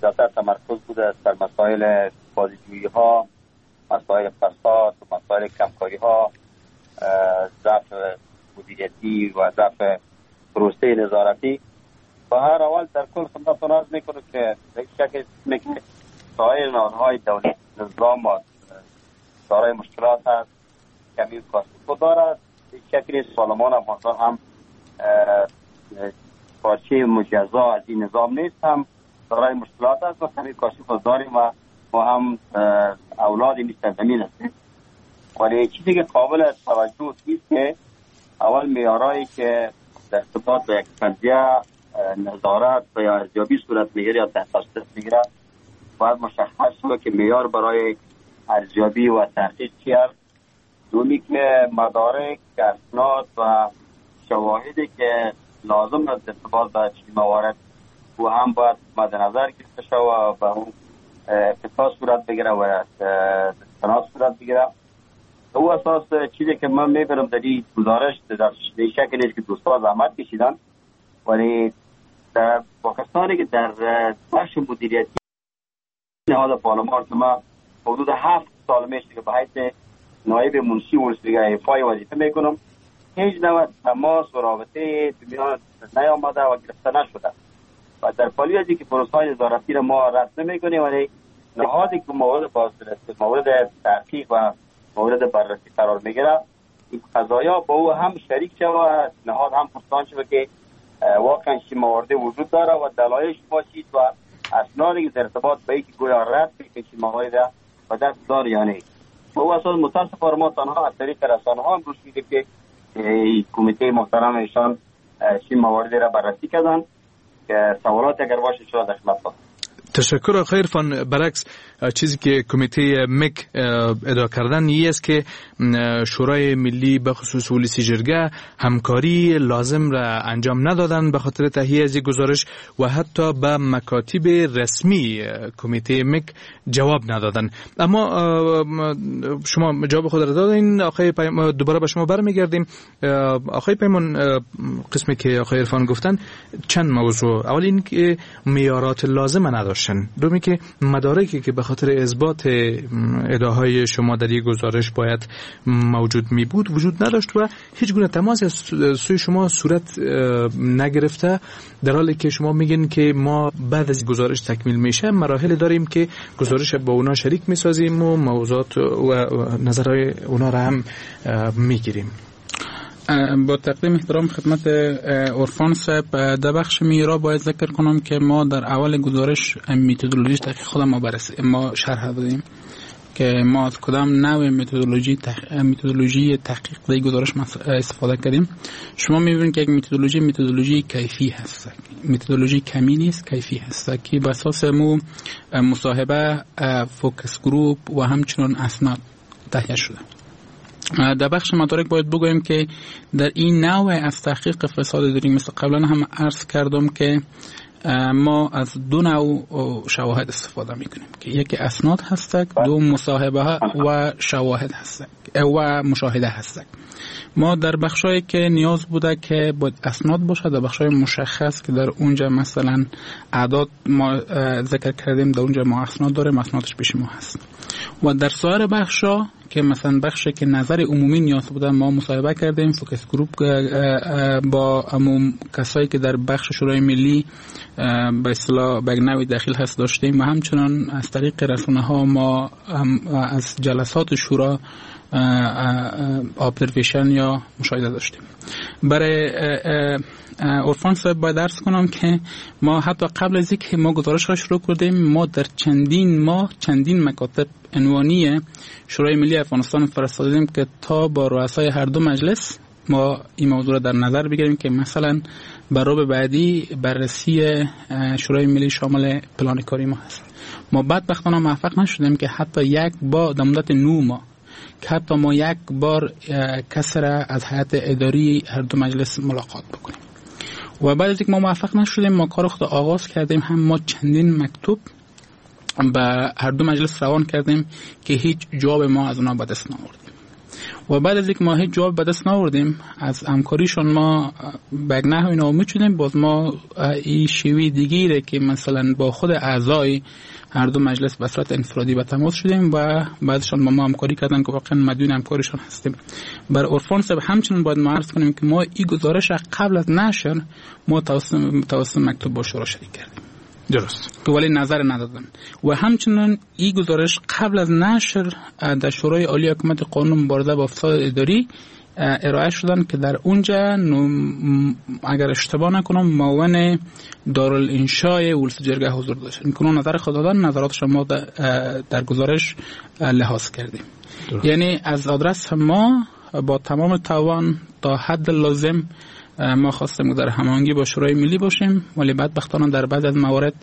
زیادتر تمرکز بوده سر مسائل بازجویی ها، مسائل فساد، مسائل کمکاری ها، ضعف مدیریتی و ضعف پروسه نظارتی. و هر اول در کل خدمتتون عرض میکنم که یک شکل که سایر نهادهای دولت نظام دارای مشکلات هست، کمی کاستی دارد. یک شکل پارلمان افغانستان هم پارچه مجزا از این نظام نیست، هم دارای مشکلات است و کمی کاستی خود داریم و ما هم اولاد این سرزمین هستیم. ولی چیزی که قابل توجه است که اول معیارهایی که در ارتباط با یک قضیه نظارت و یا ارزیابی صورت میگیره یا تحقیق صورت میگیره باید مشخص شود که معیار برای ارزیابی و تحقیق چی است. دومی که مدارک، اسناد و شواهدی که لازم است ارتباط با چنین موارد او هم باید مد نظر گرفته شود و به اون اتفاق صورت بگیره و استناد صورت بگیره. او اساس چیزی که من میبینم در این گزارش در شکل نیست که دوستا زحمت کشیدن، ولی در پاکستانی که در بخش مدیریتی نهاد پارلمان که ما حدود هفت سال میشه که به حیث نایب منشی ولسی ایفای وظیفه میکنم، هیچ نوع تماس و رابطه میان نیامده و گرفته نشده و در پالی از اینکه پروسه‌های نظارتی را ما رد نمیکنیم، ولی نهادی که مورد بازرسی، مورد تحقیق و مورد بررسی قرار میگیره این قضایا با او هم شریک شود، نهاد هم پرسان شود که واقعا چه موارد وجود داره و دلایلش باشید و اسنادی که در ارتباط به اینکه گویا رد که چه موارد به دست داره یا نه. و او اساس متاسفانه ما تنها از طریق رسانه ها امروز می‌دیدیم که کمیته محترم ایشان چه مواردی را بررسی کردن که سوالات اگر باشه شما در خدمت باشم. تشکر آقای عرفان. برعکس چیزی که کمیته مک ادعا کردن این است که شورای ملی به خصوص ولسی جرگه همکاری لازم را انجام ندادن به خاطر تهیه از گزارش و حتی به مکاتب رسمی کمیته مک جواب ندادن. اما شما جواب خود را دادین آقای پیمان، دوباره به شما برمیگردیم. آقای پیمان، قسمی که آقای عرفان گفتن چند موضوع، اول این که معیارات لازم نداشت، دومی که مدارکی که به خاطر اثبات ادعاهای شما در یک گزارش باید موجود می بود وجود نداشت و هیچ گونه تماس از سوی شما صورت نگرفته، در حالی که شما میگین که ما بعد از گزارش تکمیل میشه مراحل داریم که گزارش با اونا شریک میسازیم و موضوعات و نظرهای اونا را هم میگیریم. با تقدیم احترام خدمت عرفان صاحب، در بخش معیارها باید ذکر کنم که ما در اول گزارش متدولوژی تحقیق خود ما بررسی ما شرح دادیم که ما از کدام نوع متدولوژی تح... متدولوژی تحقیق در گزارش استفاده کردیم. شما می‌بینید که یک متدولوژی متدولوژی کیفی هست، متدولوژی کمی نیست، کیفی هست که به اساس مو مصاحبه، focus group و همچنین اسناد تهیه شده. در بخش مدارک باید بگویم که در این نوع از تحقیق فساد داریم، مثل قبلا هم عرض کردم که ما از دو نوع شواهد استفاده میکنیم که یکی اسناد هستک، دو مصاحبه و شواهد هستک و مشاهده هستک. ما در بخشایی که نیاز بوده که باید اسناد باشه، در بخشای مشخص که در اونجا مثلا اعداد ما ذکر کردیم، در اونجا ما اسناد داریم، اسنادش پیش ما هست. و در سایر بخشا که مثلا بخشی که نظر عمومی نیاز بوده، ما مصاحبه کردیم، focus group با عموم کسایی که در بخش شورای ملی به اصطلاح به نوعی دخیل هست داشتیم و همچنان از طریق رسانه ها ما از جلسات شورا observation یا مشاهده داشتیم. برای عرفان صاحب باید عرض کنم که ما حتی قبل از اینکه ما گزارش را شروع کردیم، ما در چندین ماه چندین مکاتب عنوانی شورای ملی افغانستان فرستادیم که تا با رؤسای هر دو مجلس ما این موضوع را در نظر بگیریم که مثلا بر بعدی بررسی شورای ملی شامل پلان کاری ما هست. ما بدبختانه موفق نشدیم که حتی یک بار در مدت نه ماه که حتی ما یک بار کس را از هیئت اداری هر دو مجلس ملاقات بکنیم. و بعد از اینکه ما موفق نشدیم، ما کار خود آغاز کردیم، هم ما چندین مکتوب به هر دو مجلس روان کردیم که هیچ جواب ما از اونا به دست نآوردیم. و بعد از اینکه ما هیچ جواب به دست نآوردیم، از همکاریشون ما به یک نحوی ناامید شدیم. باز ما این شیوه دیگه که مثلا با خود اعضای هر دو مجلس به صورت انفرادی به تماس شدیم و بعدشان با ما همکاری کردن که واقعا مدیون همکاریشان هستیم. بر عرفان صاحب همچنین باید ما عرض کنیم که ما این گزارش قبل از نشر ما توسط مکتوب با شورا شریک کردیم. درست. که ولی نظر ندادن. و همچنین این گزارش قبل از نشر در شورای عالی حکومت قانون مبارزه با فساد اداری ارائه شدن که در اونجا اگر اشتباه نکنم معاون دارالانشای ولس جرگه حضور داشت. این نظر خود دادن، نظرات شما در گزارش لحاظ کردیم. درست. یعنی از آدرس ما با تمام توان تا حد لازم ما خواستیم در هماهنگی با شورای ملی باشیم، ولی بدبختانه در بعض از موارد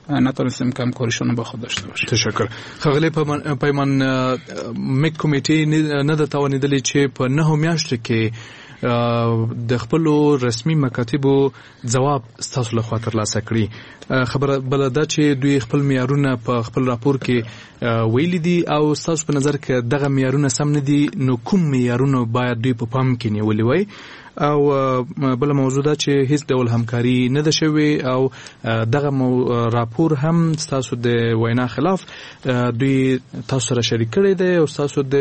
نتونستیم که همکاریشون با خود داشته باشیم. تشکر. ښاغلی پیمان، میک کمیټې نه ده توانېدلې چې په نهو میاشتو کې د خپلو رسمي مکاتبو ځواب ستاسو لخوا ترلاسه کړي. خبره بله دا چې دوی خپل معیارونه په خپل راپور کې ویلي دي او ستاسو په نظر کې دغه معیارونه سم نه دي، نو کوم معیارونه باید دوی په پام کې نیولي وای؟ او بل موضوع دا چې هیڅ ډول همکاري نه ده شوې او دغه راپور هم ستاسو د وینا خلاف دوی تاسو سره شریک کړی دی او ستاسو د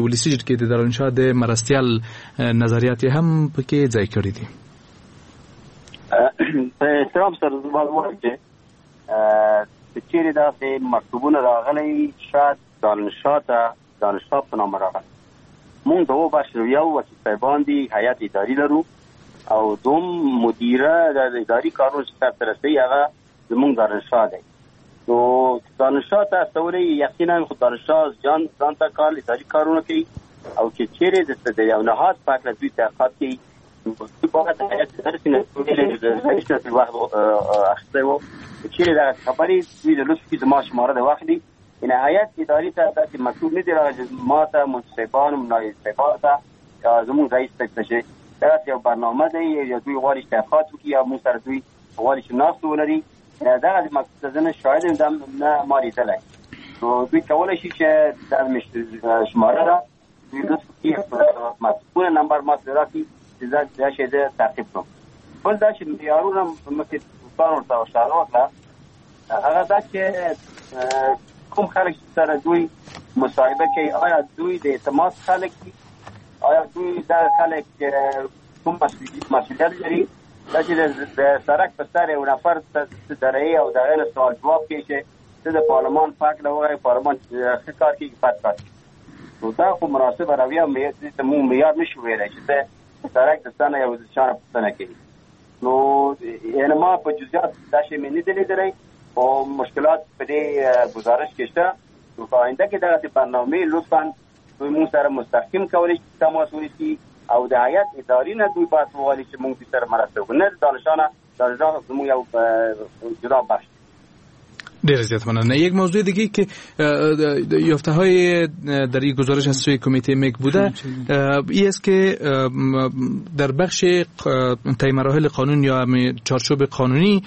ولسي جرګې د دارالانشا د مرستیال نظریات هم پکې ځای کړي دي. په احترام سره زما ووایم چې چیرې داسې مکتوبونه راغلي، شاید دارالانشا ته دارالانشا په نامه راغلي. مونږ دوه بخش لرو، یو وکیل صاحبان دي، هیئت اداري لرو، او دوم مدیره د اداري کارونو چې سرته رسوي هغه زمونږ دارالانشا دی. نو دارالانشا ته استولی یقینا خو دارالانشا ځان ځان ته کار اداري کارونه کوي، او چې چیرې د یو نهاد په هکله دوی تحقیقات کوي، دوی باید هیئت اداري نه رئیس نه وخت اخیستی و چیرې دغه خبرې دوی د لطف کې زما شماره د واخلي. ان هیئت اداري ته داسې مکتوب نه دی راغلی چې ما ته منصفان او نایب صاحبان ته یا زموږ رئیس ته چې داسې یو برنامه دی یا دوی غواړي چې تحقیقات وکړي یا موږ سره دوی غواړي چې ناست ولري، دغه مکتوب ته زه نه شاهد یم، نه ما لیدلی. نو دوی کولی شي چې دا شماره ده دوی لطف وکړي مکتوبونه نمبر ما ته راکړي چې زه دا شی زه تعقیب کړم. بل دا چې معیارونه مخکې دوستان ورته اشاره وکړه، هغه دا چې کوم خلک سره دوی مصاحبه کوي، آیا دوی د اعتماد خلک دي؟ آیا دوی دا خلک کوم مسؤلیت لري؟ دا چې د سړک په سر یو نفر ته درې او د هغې نه سوال جواب کوي چې ته د پارلمان په هکله ووایې، پارلمان ښه کار کوي که بد کار کوي، نو دا خو مناسبه رویه دې ته موږ معیار نشو ویلی چې ته سرک د څه نه یو چا نه پوښتنه کوي. نو یعنې ما په جزئیات دا شی مې نه دی لیدلی، خو مشکلات په دې ګزارش کې شته. نو په آینده کې دغسې برنامې لطفا دوی موږ سره مستقیم کولی شي تماس ونیسي او د هیئت اداري نه دوی باید وغواړي چې موږ دوی سره مرسته وکړو، نه د دانشانه. دانشان زموږ یو جدا بخش. ډیر زیات مننه. یک موضوع دیگه که یافته های در این گزارش از سوی کمیته مک بوده ای است که در بخش طی مراحل قانون یا چارچوب قانونی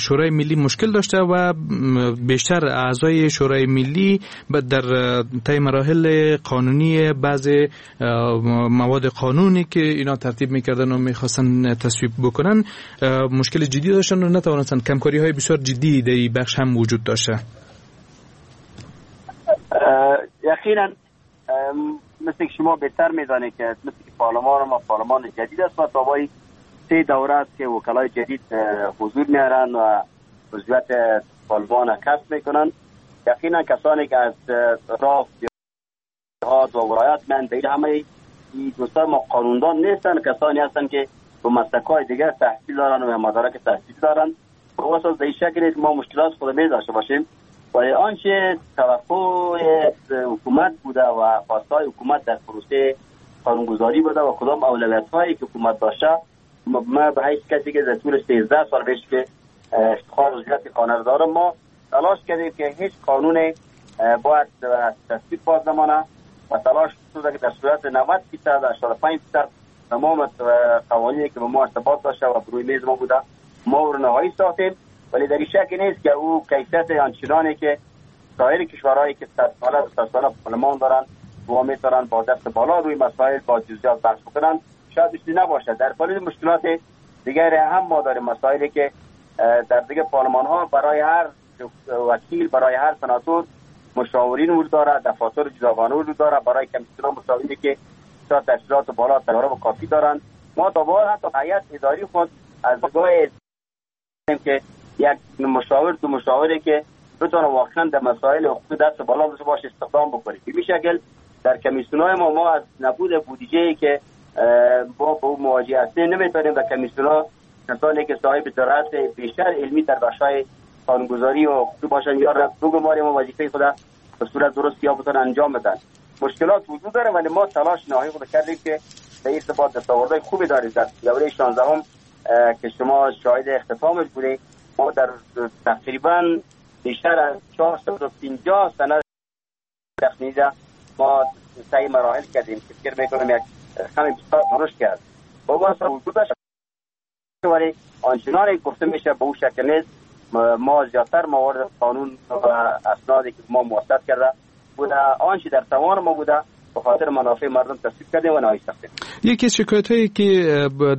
شورای ملی مشکل داشته و بیشتر اعضای شورای ملی در طی مراحل قانونی بعض مواد قانونی که اینا ترتیب میکردن و میخواستن تصویب بکنن مشکل جدی داشتن و نتوانستن. کمکاری های بسیار جدی در این بخش هم وجود داشته. یقینا مثل که شما بهتر میدانید که مثل که پارلمان ما پارلمان جدید است و تا سه دوره است که وکلای جدید حضور میارن و عضویت پارلمان کسب میکنن. یقینا کسانی که از راه دهات و ولایات من به همه دوستان ما قانوندان نیستن، کسانی هستن که به مسلک‌های دیگر تحصیل دارن و مدارک تحصیل دارن. به اساس به این شکل ما مشکلات خود می داشته باشیم، ولی آنچه توقع حکومت بوده و خواستهای حکومت در پروسه قانونگذاری بوده و کدام اولویت‌هایی که حکومت داشته، ما به هیچ کسی که در طول سیزده سال پیش که افتخار عضویت قانون دارم، ما تلاش کردیم که هیچ قانون باید تصویب باز نمانه و تلاش شده که در صورت نود درصد هشتاد و پنج درصد تمام قوانینی که به ما ارتباط داشته و روی میز ما بوده ما او رو نهایی ساختیم. ولی در این شک نیست که او کیفیت آنچنانی که سایر کشورهایی که صد ساله و صد ساله پارلمان دارن و میتونن با دست بالا روی مسائل با جزئیات بحث بکنن شاید بیشتر نباشه. در پالیز مشکلات دیگر هم ما داریم، مسائلی که در دیگه پارلمان ها برای هر وکیل، برای هر سناتور مشاورین وجود داره، دفاتر جداگانه وجود داره، برای کمیسیون مشاورینی که تا تحصیلات بالا تجارب کافی دارن. ما تا به حال حتی هیئت اداری خود از نگاه که یک مشاور دو مشاوری که بتونه واقعا در مسائل حقوقی دست بالا داشته باشه استخدام بکنیم. به این شکل در کمیسیون‌های ما ما از نبود بودجه‌ای که با با مواجه هستیم نمیتونیم در کمیسیون‌ها کسانی که صاحب درایت بیشتر علمی در بخش‌های قانونگذاری و حقوقی باشن یا را بگماریم و وظیفه خود به صورت درست یا بتونن انجام بدن. مشکلات وجود داره ولی ما تلاش نهایی خود کردیم که به ارتباط دستاوردهای خوبی داریم. در دوره شانزدهم که شما شاهد اختتامش بودید، ما در تقریبا بیشتر از چهارصد و پنجاه سند تخمیده ما طی مراحل کردیم که فکر میکنم یک رقم بسیار درشت کرد. با وجود داشت ولی آنچنان گفته میشه به اون شکل نیست. ما زیادتر موارد قانون و اسنادی که ما موثق کرده بوده آنچه در توان ما بوده به خاطر منافع مردم تصویب کردیم و نهایی ساختیم. یکی از شکایت هایی که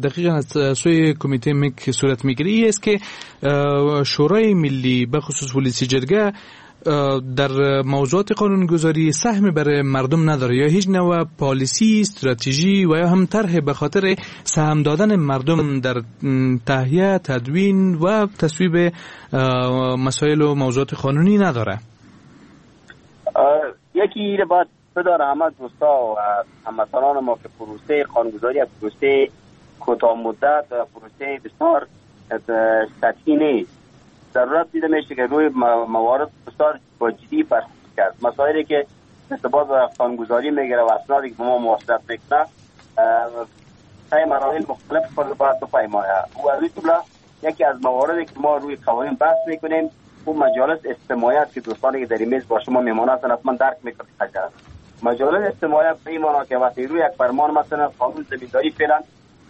دقیقا از سوی کمیته مک صورت میگیره این است که شورای ملی به خصوص ولسی جرگه در موضوعات قانونگذاری سهم برای مردم نداره یا هیچ نوع پالیسی، استراتژی و یا هم طرح به خاطر سهم دادن مردم در تهیه، تدوین و تصویب مسائل و موضوعات قانونی نداره. یکی ایره باید بداره همه دوستا و هموطنان ما که پروسه قانونگذاری یک پروسه کوتاه مدت و پروسه بسیار سطحی نیست. ضرورت دیده میشه که روی موارد بسیار با جدی برخورد کرد. مسائلی که ارتباط با قانونگذاری میگیره و اسنادی که به ما مواصلت میکنه طی مراحل مختلف خود باید بپیماید. و از این جمله یکی از مواردی که ما روی قوانین بحث میکنیم اون مجالس استماعیت که دوستانی که در این میز با شما میمانه هستن حتما درک میکنند. مجالس استماعیت به این معنا که وقتی روی یک فرمان مثلا قانون زمینداری فعلا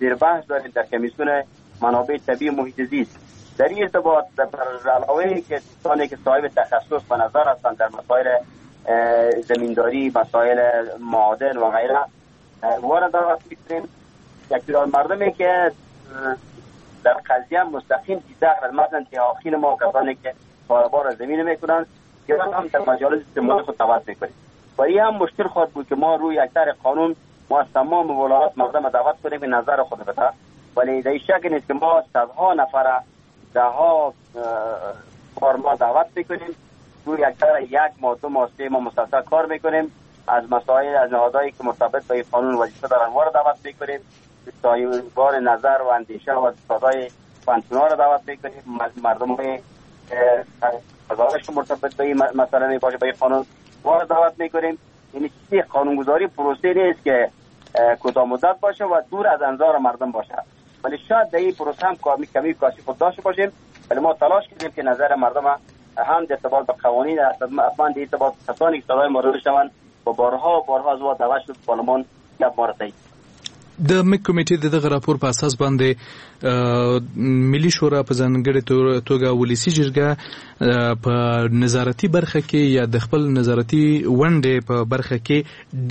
زیر بحث داریم در کمیسیون منابع طبیعی محیط زیست، در این ارتباط بر علاوه که دوستانی که صاحب تخصص و نظر هستند در مسائل زمینداری، مسائل معادن و غیره وارد می‌کنیم. یک تعداد مردمی که در قضیه مستقیم دیده مثلا دهاقین ما، کسانی که کاروبار زمین میکنن، که هم در مجالس استماعی خود دعوت میکنیم. و این هم مشکل خواهد بود که ما روی یک طرح قانون ما از تمام ولایات مردم دعوت کنیم که نظر خود بده، ولی در این شک نیست که ما صدها نفر ده ها بار ما دعوت میکنیم روی یک طرح یک ماه، دو ماه، سه ماه مسلسل کار میکنیم. از مسائل از نهادهایی که مرتبط با این قانون وظیفه دارن وارد دعوت میکنیم. صاحبان نظر و اندیشه و استادای پوهنتون‌ها را دعوت میکنیم، مردم های قضاوتش مرتبط به این مسئله می باشه، به این قانون ما دعوت میکنیم. یعنی چیزی قانونگذاری پروسه نیست که کوتاه مدت باشه و دور از انظار مردم باشه، ولی شاید در این پروسه هم کمی کمی کاشی خود داشته باشیم، ولی ما تلاش کردیم که نظر مردم هم در ارتباط به قوانین، حتما در ارتباط کسانی که صدای ما را بشنوند و بارها بارها از ما دعوت شد پارلمان یک بار تایید. د مک کمیټې د دغه راپور په اساس باندې ملي شورا په ځانګړې توګه ولسي جرګه په نظارتي برخه کې یا د خپل نظارتي ونډې په برخه کې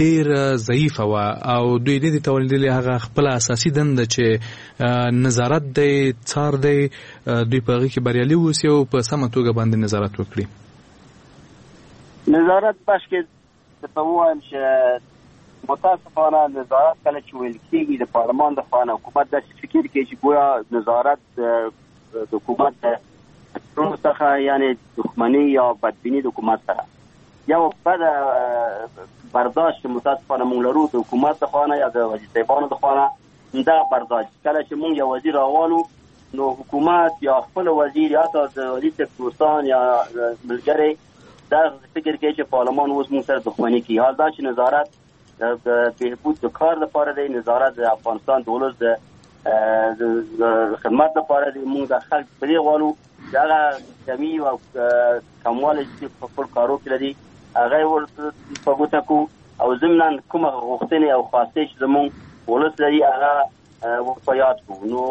ډیر ضعیفه وه او دوی نه دي توانېدلي هغه خپل اساسي دنده چې نظارت دی، څار دی، دوی په هغه کې بریالي اوسي او په سمه توګه باندې نظارت وکړي. نظارت بخش کې ته ووایم چې متاسفانه نظارت کله چې ویل کېږي د پارلمان د خوا نه حکومت داسې فکر کوي چې ګویا نظارت د حکومت د ټولو څخه یعنې دښمني یا بدبیني د حکومت سره یو بده برداشت متاسفانه موږ لرو د حکومت د خوا نه یا د وزیر صاحبانو د خوا نه. دا برداشت کله چې موږ یو وزیر راوالو نو حکومت یا خپل وزیر یا حتی د وزیر صاحب دوستان یا ملګری دا فکر کوي چې پارلمان اوس موږ سره دښمني کوي. حال دا چې نظارت د بهبود د کار لپاره دی، نظارت د افغانستان د ولس د خدمت لپاره دی. موږ د خلک په دې غواړو چې هغه کمي او کموالی چې په خپل کارو کې لري هغه یې ورته په ګوته کړو او ضمناً کومه غوښتنې او خواستې چې زموږ ولس لري هغه ورته یاد کړو. نو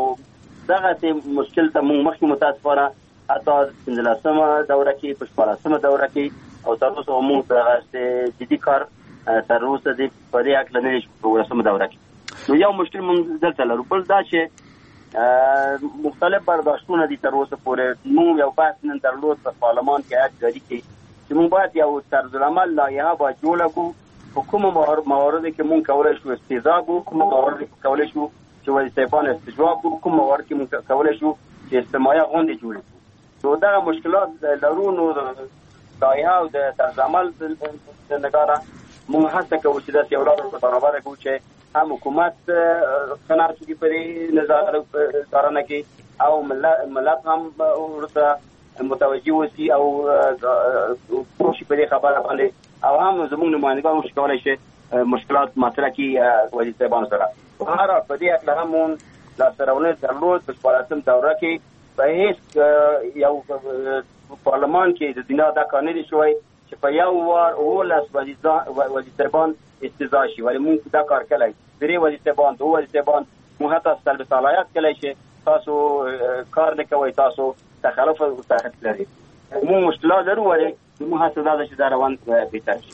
دغسې مشکل ته موږ مخکې متاسفانه حتی پنځلسمه دوره کې، په شپاړسمه دوره کې او تر اوسه موږ دغسې جدي کار تر اوسه دې په دې هکله نه دی په ولسمه دوره کې. نو یو مشکل موږ دلته لرو. بل دا چې مختلف برداشتونه دي تر اوسه پورې. موږ یو بحث نن درلود په پارلمان کې هیئت جاري کې چې موږ باید یو طرزالعمل لایحه باید جوړه کړو په کومو مواردو کې موږ کولی شو استیضاح کړو، کومو مواردو کې کولی شو چې وزیر صاحبان استجواب کړو، کوم موارد کې موږ کولی شو چې استماعیه غونډې جوړې کړو. نو دغه مشکلات لرو. نو لایحه او د طرزالعمل د نګاره موږ هڅه کوو چې داسې یو لار ورته برابره کړو چې هم حکومت قناعت وکړي په دې نظارت څارنه کې او ملت هم ورته متوجه اوسي او پوه شي په دې خبره باندې، او هم زموږ نمایندګان وشي کولی شي مشکلات مطرح کړي وزیر صاحبانو سره. په هر حال په دې هکله هم موږ لاسته راوړنې درلود. په شپاړسم دوره کې په هېڅ یو پارلمان کې د دنیا دا کار نه دی شوی چې په یو وار اوولس وزیر صاحبان استیضاح شي، ولی موږ دا کار کړی. درې وزیر صاحبان، دوه وزیر صاحبان، موږ حتی سلب صلاحیت کړی چې تاسو کار نه کوئ، تاسو تخلف او تخلف لرئ. موږ مشکلات لرو، ولی موږ هڅه دا ده چې دا روان بهتر شي.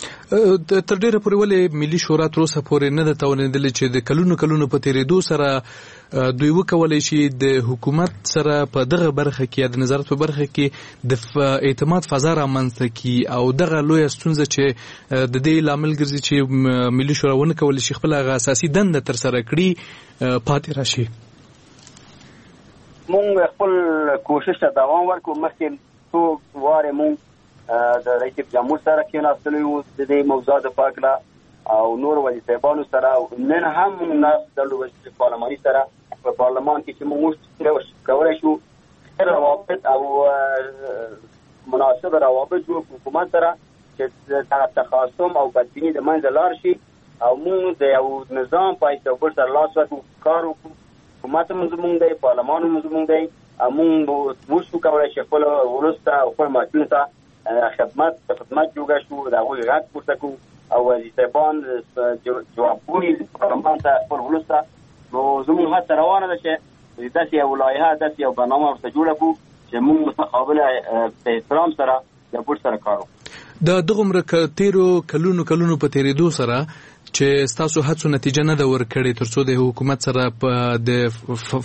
تر ډېره پورې ولې ملي شورا تر اوسه پورې نه ده توانېدلې چې د کلونو کلونو په تېرېدو سره دوی وکولای شي د حکومت سره په دغه برخه کې یا د نظارت په برخه کې د اعتماد فضا رامنځته کړي او دغه لویه ستونزه چې د دې لامل ګرځي چې ملي شورا ونه کولی شي خپله هغه اساسي دنده ترسره کړي پاتې راشي؟ موږ خپل کوشش ته دوام ورکړو. مخکې څو وارې موږ د رئیس جمهور سره کېناستلی وو د دې موضوع د په هکله او نور وزیر صاحبانو سره. نن هم موږ ناست درلود وزیر پارلماني سره په پارلمان کې چې موږ کولی شو ښه روابط او مناسب روابط جوړ کړو حکومت سره چې دغه تخاصم او بدبیني د منځه لاړ شي او موږ د یو نظام په حیث یو بل سره لاس ورکړو، کار وکړو. حکومت هم زموږ دی، پارلمان هم زموږ دی، او موږ وشو کولی شي خپل ولس ته او خپل ملتونو ته خدمت خدمت جوړ شو، د هغوی غږ پورته کړو او وزیر صاحبان جوابګوي پارلمان ته خپل ولس ته. نو زموږ هڅه روانه ده چې داسې یو لایحه، داسې یو برنامه ورته جوړه کړو چې موږ متقابل په احترام سره یو بل سره کار وکړو. د دغومره تېرو کلونو کلونو په تېرېدو سره چې ستاسو هڅو نتیجه نه ده ورکړې ترڅو د حکومت سره په د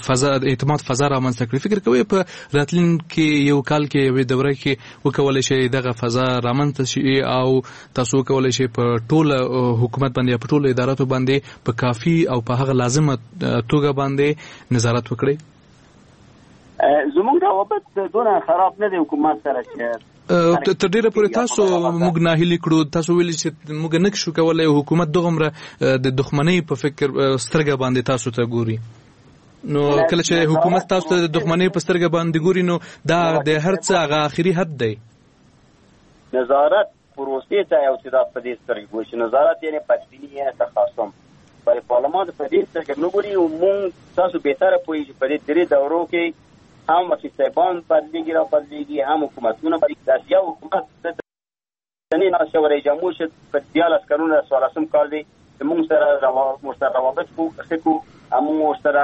فضا اعتماد فضا رامنځته کړي، فکر کوئ په راتلونکي یو کال کې یوې دوره کې وکولای شئ دغه فضا رامنځته شي او تاسو وکولای شئ په ټوله حکومت باندې یا په ټولو اداراتو باندې په کافي او په هغه لازمه توګه باندې نظارت وکړئ؟ زموږ روابط دونه خراب نه دی حکومت سره چې تر ډیره پورې تاسو موږ ناهیلي کړو، تاسو ویلي چې موږ نه شو کولای حکومت دغمره د دښمنۍ په فکر سترګه باندې تاسو ته ګوري. نو کله چې حکومت تاسو ته د دښمنۍ په سترګه باندې ګوري نو دا د هر څه هغه اخري حد دی. نظارت پروسې ته یو تعداد په دې سترګه ګوري چې نظارت یعنی بدبیني یعنی تخاصم، ولی پارلمان په دې سترګه نه ګوري. او موږ تاسو بهتره پوهیږئ په دې درې دورو کې هم وکیل صاحبان بدلیږي را بدلیږي، هم حکومتونه بدلیږي. داسې یو حکومت نه ناست شو رئیس جمهور شد په دیارلس کلونو څوارلسم کال دی چې موږ سره موږ سره روابط ښه کړو، موږ ورسره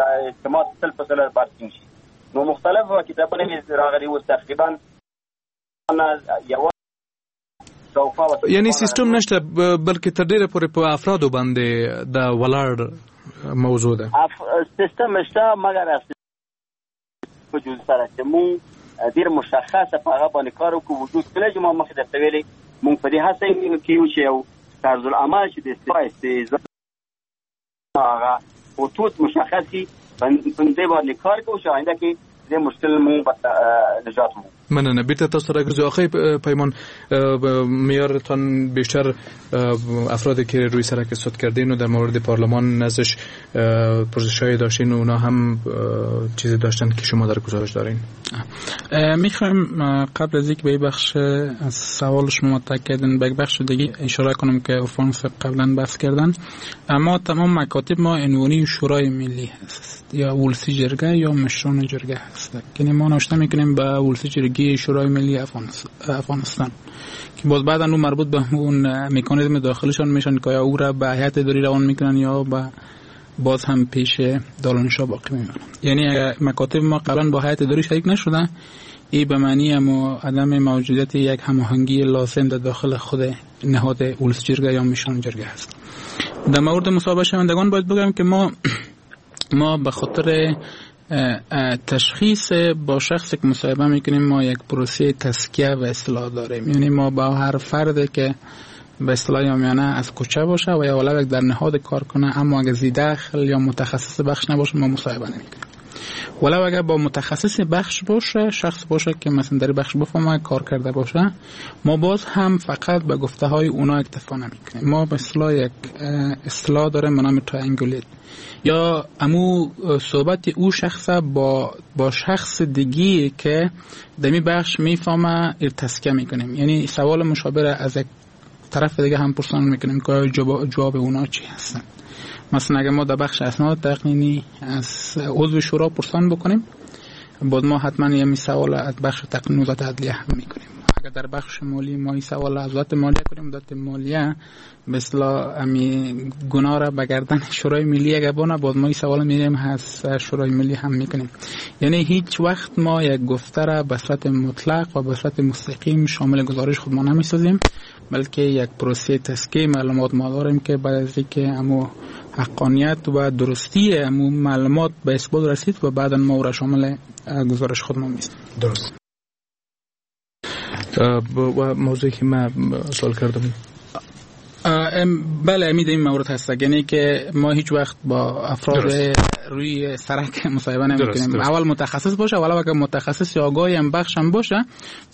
د اعتماد تل په سره باید ټینګ شي. نو مختلف کتابونه راغلي اوس تقریبا یو یعنی سیستم نشته، بلکې تر ډیره پورې په افرادو باندې د ولاړ موضوع ده. سیستم شته مګر په جز سره چې مونږ ډیر مشخصه په هغه باندې کار وکړو. وجود کله چې ما مخې درته ویلې مونږ په دې هڅه کې یو چې یو طرز العمل چې د استعفا هغه خطوط مشخص کړي، په دې باندې کار کوو چې آینده کې دې مشکل مونږ نجات ومومو. مننه. بیرته تاسو راګرځو. آقای پیمان، معیارتان بیشتر افرادی که روی سرک استاد کردین و در مورد پارلمان ازش پرسش‌های داشتین و اونا هم چیزی داشتن که شما در گزارش دارین. میخوایم قبل از اینکه به بخش از سوال شما مطرح کردین به بخش دیگه اشاره کنم که عرفان قبلا بحث کردن. اما تمام مکاتب ما عنوانی شورای ملی هست یا ولسی جرگه یا مشران جرگه هست، یعنی ما نوشته میکنیم به ولسی جرگه شورای ملی افغانستان که باز بعدا اون مربوط به اون مکانیزم داخلشان میشن که یا او را به هیئت اداری روان میکنن یا به باز هم پیش دارالانشا باقی میمونن. یعنی مکاتب ما قبلا با هیئت اداری شریک نشدن، این به معنی اما عدم موجودیت یک هماهنگی لازم در داخل خود نهاد ولس جرگه یا مشران جرگه هست. در مورد مصاحبه شوندگان باید بگم که ما ما به خاطر تشخیص با شخصی که مصاحبه میکنیم ما یک پروسه تزکیه و اصلاح داریم. یعنی ما با هر فرد که به اصطلاح یا میانه از کوچه باشه و یا ولو در نهاد کار کنه اما اگر زی دخل یا متخصص بخش نباشه ما مصاحبه نمیکنیم. ولو اگر با متخصص بخش باشه، شخص باشه که مثلا در بخش بفهمه کار کرده باشه، ما باز هم فقط به گفته های اونا اکتفا نمیکنیم. ما به اصطلاح یک اصطلاح داره به نام triangulate، یا امو صحبت او شخص با با شخص دیگه که دمی بخش میفهمه تزکیه میکنیم. یعنی سوال مشابه از یک طرف دیگه هم پرسان میکنیم که جواب اونا چی هستن. مثلا اگه ما در بخش اسناد تقنینی از عضو شورا پرسان بکنیم، بعد ما حتما یه سوال از بخش تقنین وزارت عدلیه هم میکنیم. اگر در بخش مالی ما این سوال از وزارت مالیه کنیم، وزارت مالیه مثلا امی گناه را به گردن شورای ملی اگه بانه، باز ما این سوال میریم از شورای ملی هم میکنیم. یعنی هیچ وقت ما یک گفته را به صورت مطلق و به صورت مستقیم شامل گزارش خود ما نمیسازیم، بلکه یک پروسه تزکیه معلومات ما داریم که بعد از اینکه امو حقانیت و درستی امو معلومات به اثبات رسید و بعدا ما را شامل گزارش خود ما میسازیم. درست. و موضوعی که من سوال کردم، بله امید این مورد هست، یعنی که ما هیچ وقت با افراد درست. روی سرک مصاحبه نمی‌کنیم. اول متخصص باشه، ولو اگر متخصص یا آگاهی هم بخش هم باشه،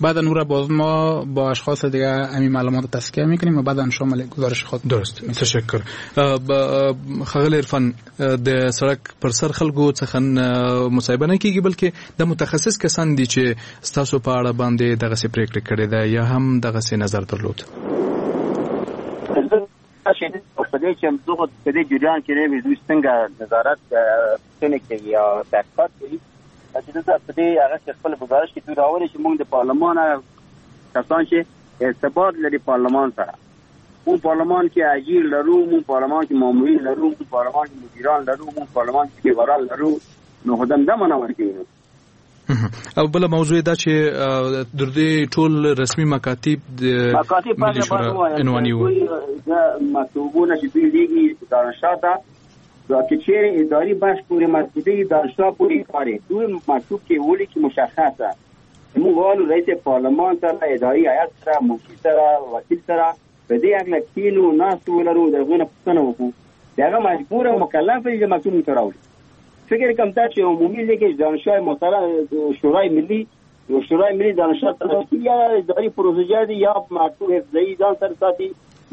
بعد اون را باز ما با اشخاص دیگه همین معلومات رو تزکیه میکنیم و بعدا شامل گزارش خود. درست. تشکر. ښاغلی عرفان، د سړک پر سر خلکو څخه مصاحبه نه کیږي، بلکې د متخصص کسان دي چې ستاسو په اړه باندې دغسې پرېکړه کړې ده یا هم دغسې نظر درلود. په دې چې دغه په دې جریان کې نه دوی څنګه نظارت څنګه کوي یا تحقیقات کوي، چې دلته په دې هغه کې خپل گزارش کې دوی راولي چې موږ د پارلمان کسان چې ارتباط لري پارلمان سره، مونږ پارلمان کې اجیر لرو، مونږ پارلمان کې مامورین لرو، مونږ پارلمان کې مدیران لرو، مونږ پارلمان کې ډریوران لرو، نو خدام دا معنا ورکوي. او بل موضوع دا چې در دې ټول رسمي مکاتب د ملي شورا عنواني وو، مکتوبونه چې دوی لیږي دارالانشا ته، دا که چیرې اداري بخش پورې مربوطه دارالانشا پورې کاري دوی مکتوب کې ولیکي مشخصه موږ غواړو رئیس پارلمان سره، اداري هیئت سره، منشي سره، وکیل سره په دې هکله کښېنو، ناست ولرو، د هغوی نه پوښتنه وکړو. د هغه مجبور او مکلف دی چې مکتوب موږ ته راوړي. فکر کوم دا چې عمومي لیکج دانشگاه محترم شورای ملی شورای ملي دانشگاه تلاشي یا اداري پروسیجر دی، یا مکتوب حفظي ځان سره ساتي،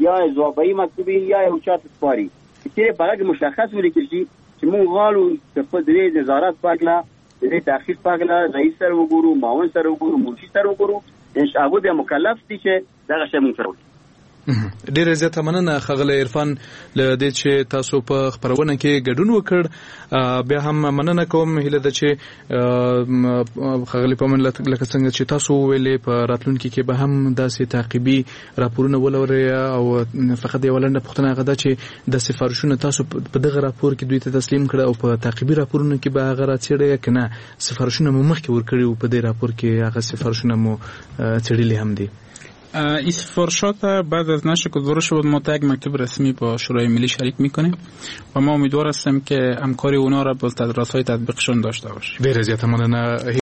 یا ځوابي مکتوبي، یا یو چاته سپاري. چې په هغه مشخص ولیکل شي چې موږ غواړو چې په دې نظارت په هکله، د دې تحقیق په هکله رئیس سره وګورو، معاون سره وګورو، منشي سره وګورو. هغوی بیا مکلف دي چې دغه شی موږ سره وکړي. ډیره زیاته مننه ښاغلی عرفان له دې چې تاسو په خپرونه کې ګډون وکړ. بیا هم مننه کوم. هیله ده چې ښاغلی پمن لکه څنګه چې تاسو وویلې په راتلونکي کې به هم داسې تعقیبي راپورونه ولرئ. او فقط یوه لنډه پوښتنه هغه ده چې د سفارشونه تاسو په دغه راپور کې دوی ته تسلیم کړه او په تعقیبي راپورونو کې به هغه راڅېړئ که نه سفارشونه مو مخکې ورکړي وو، په دې راپور کې هغه سفارشونه مو څېړلي هم دي؟ این سفارشات بعد از نشر گزارش بود ما تا یک مکتوب رسمی با شورای ملی شریک میکنیم و ما امیدوار هستیم که همکاری اونا را با راستای تطبیقشون داشته باشیم. ډیره زیاته مننه.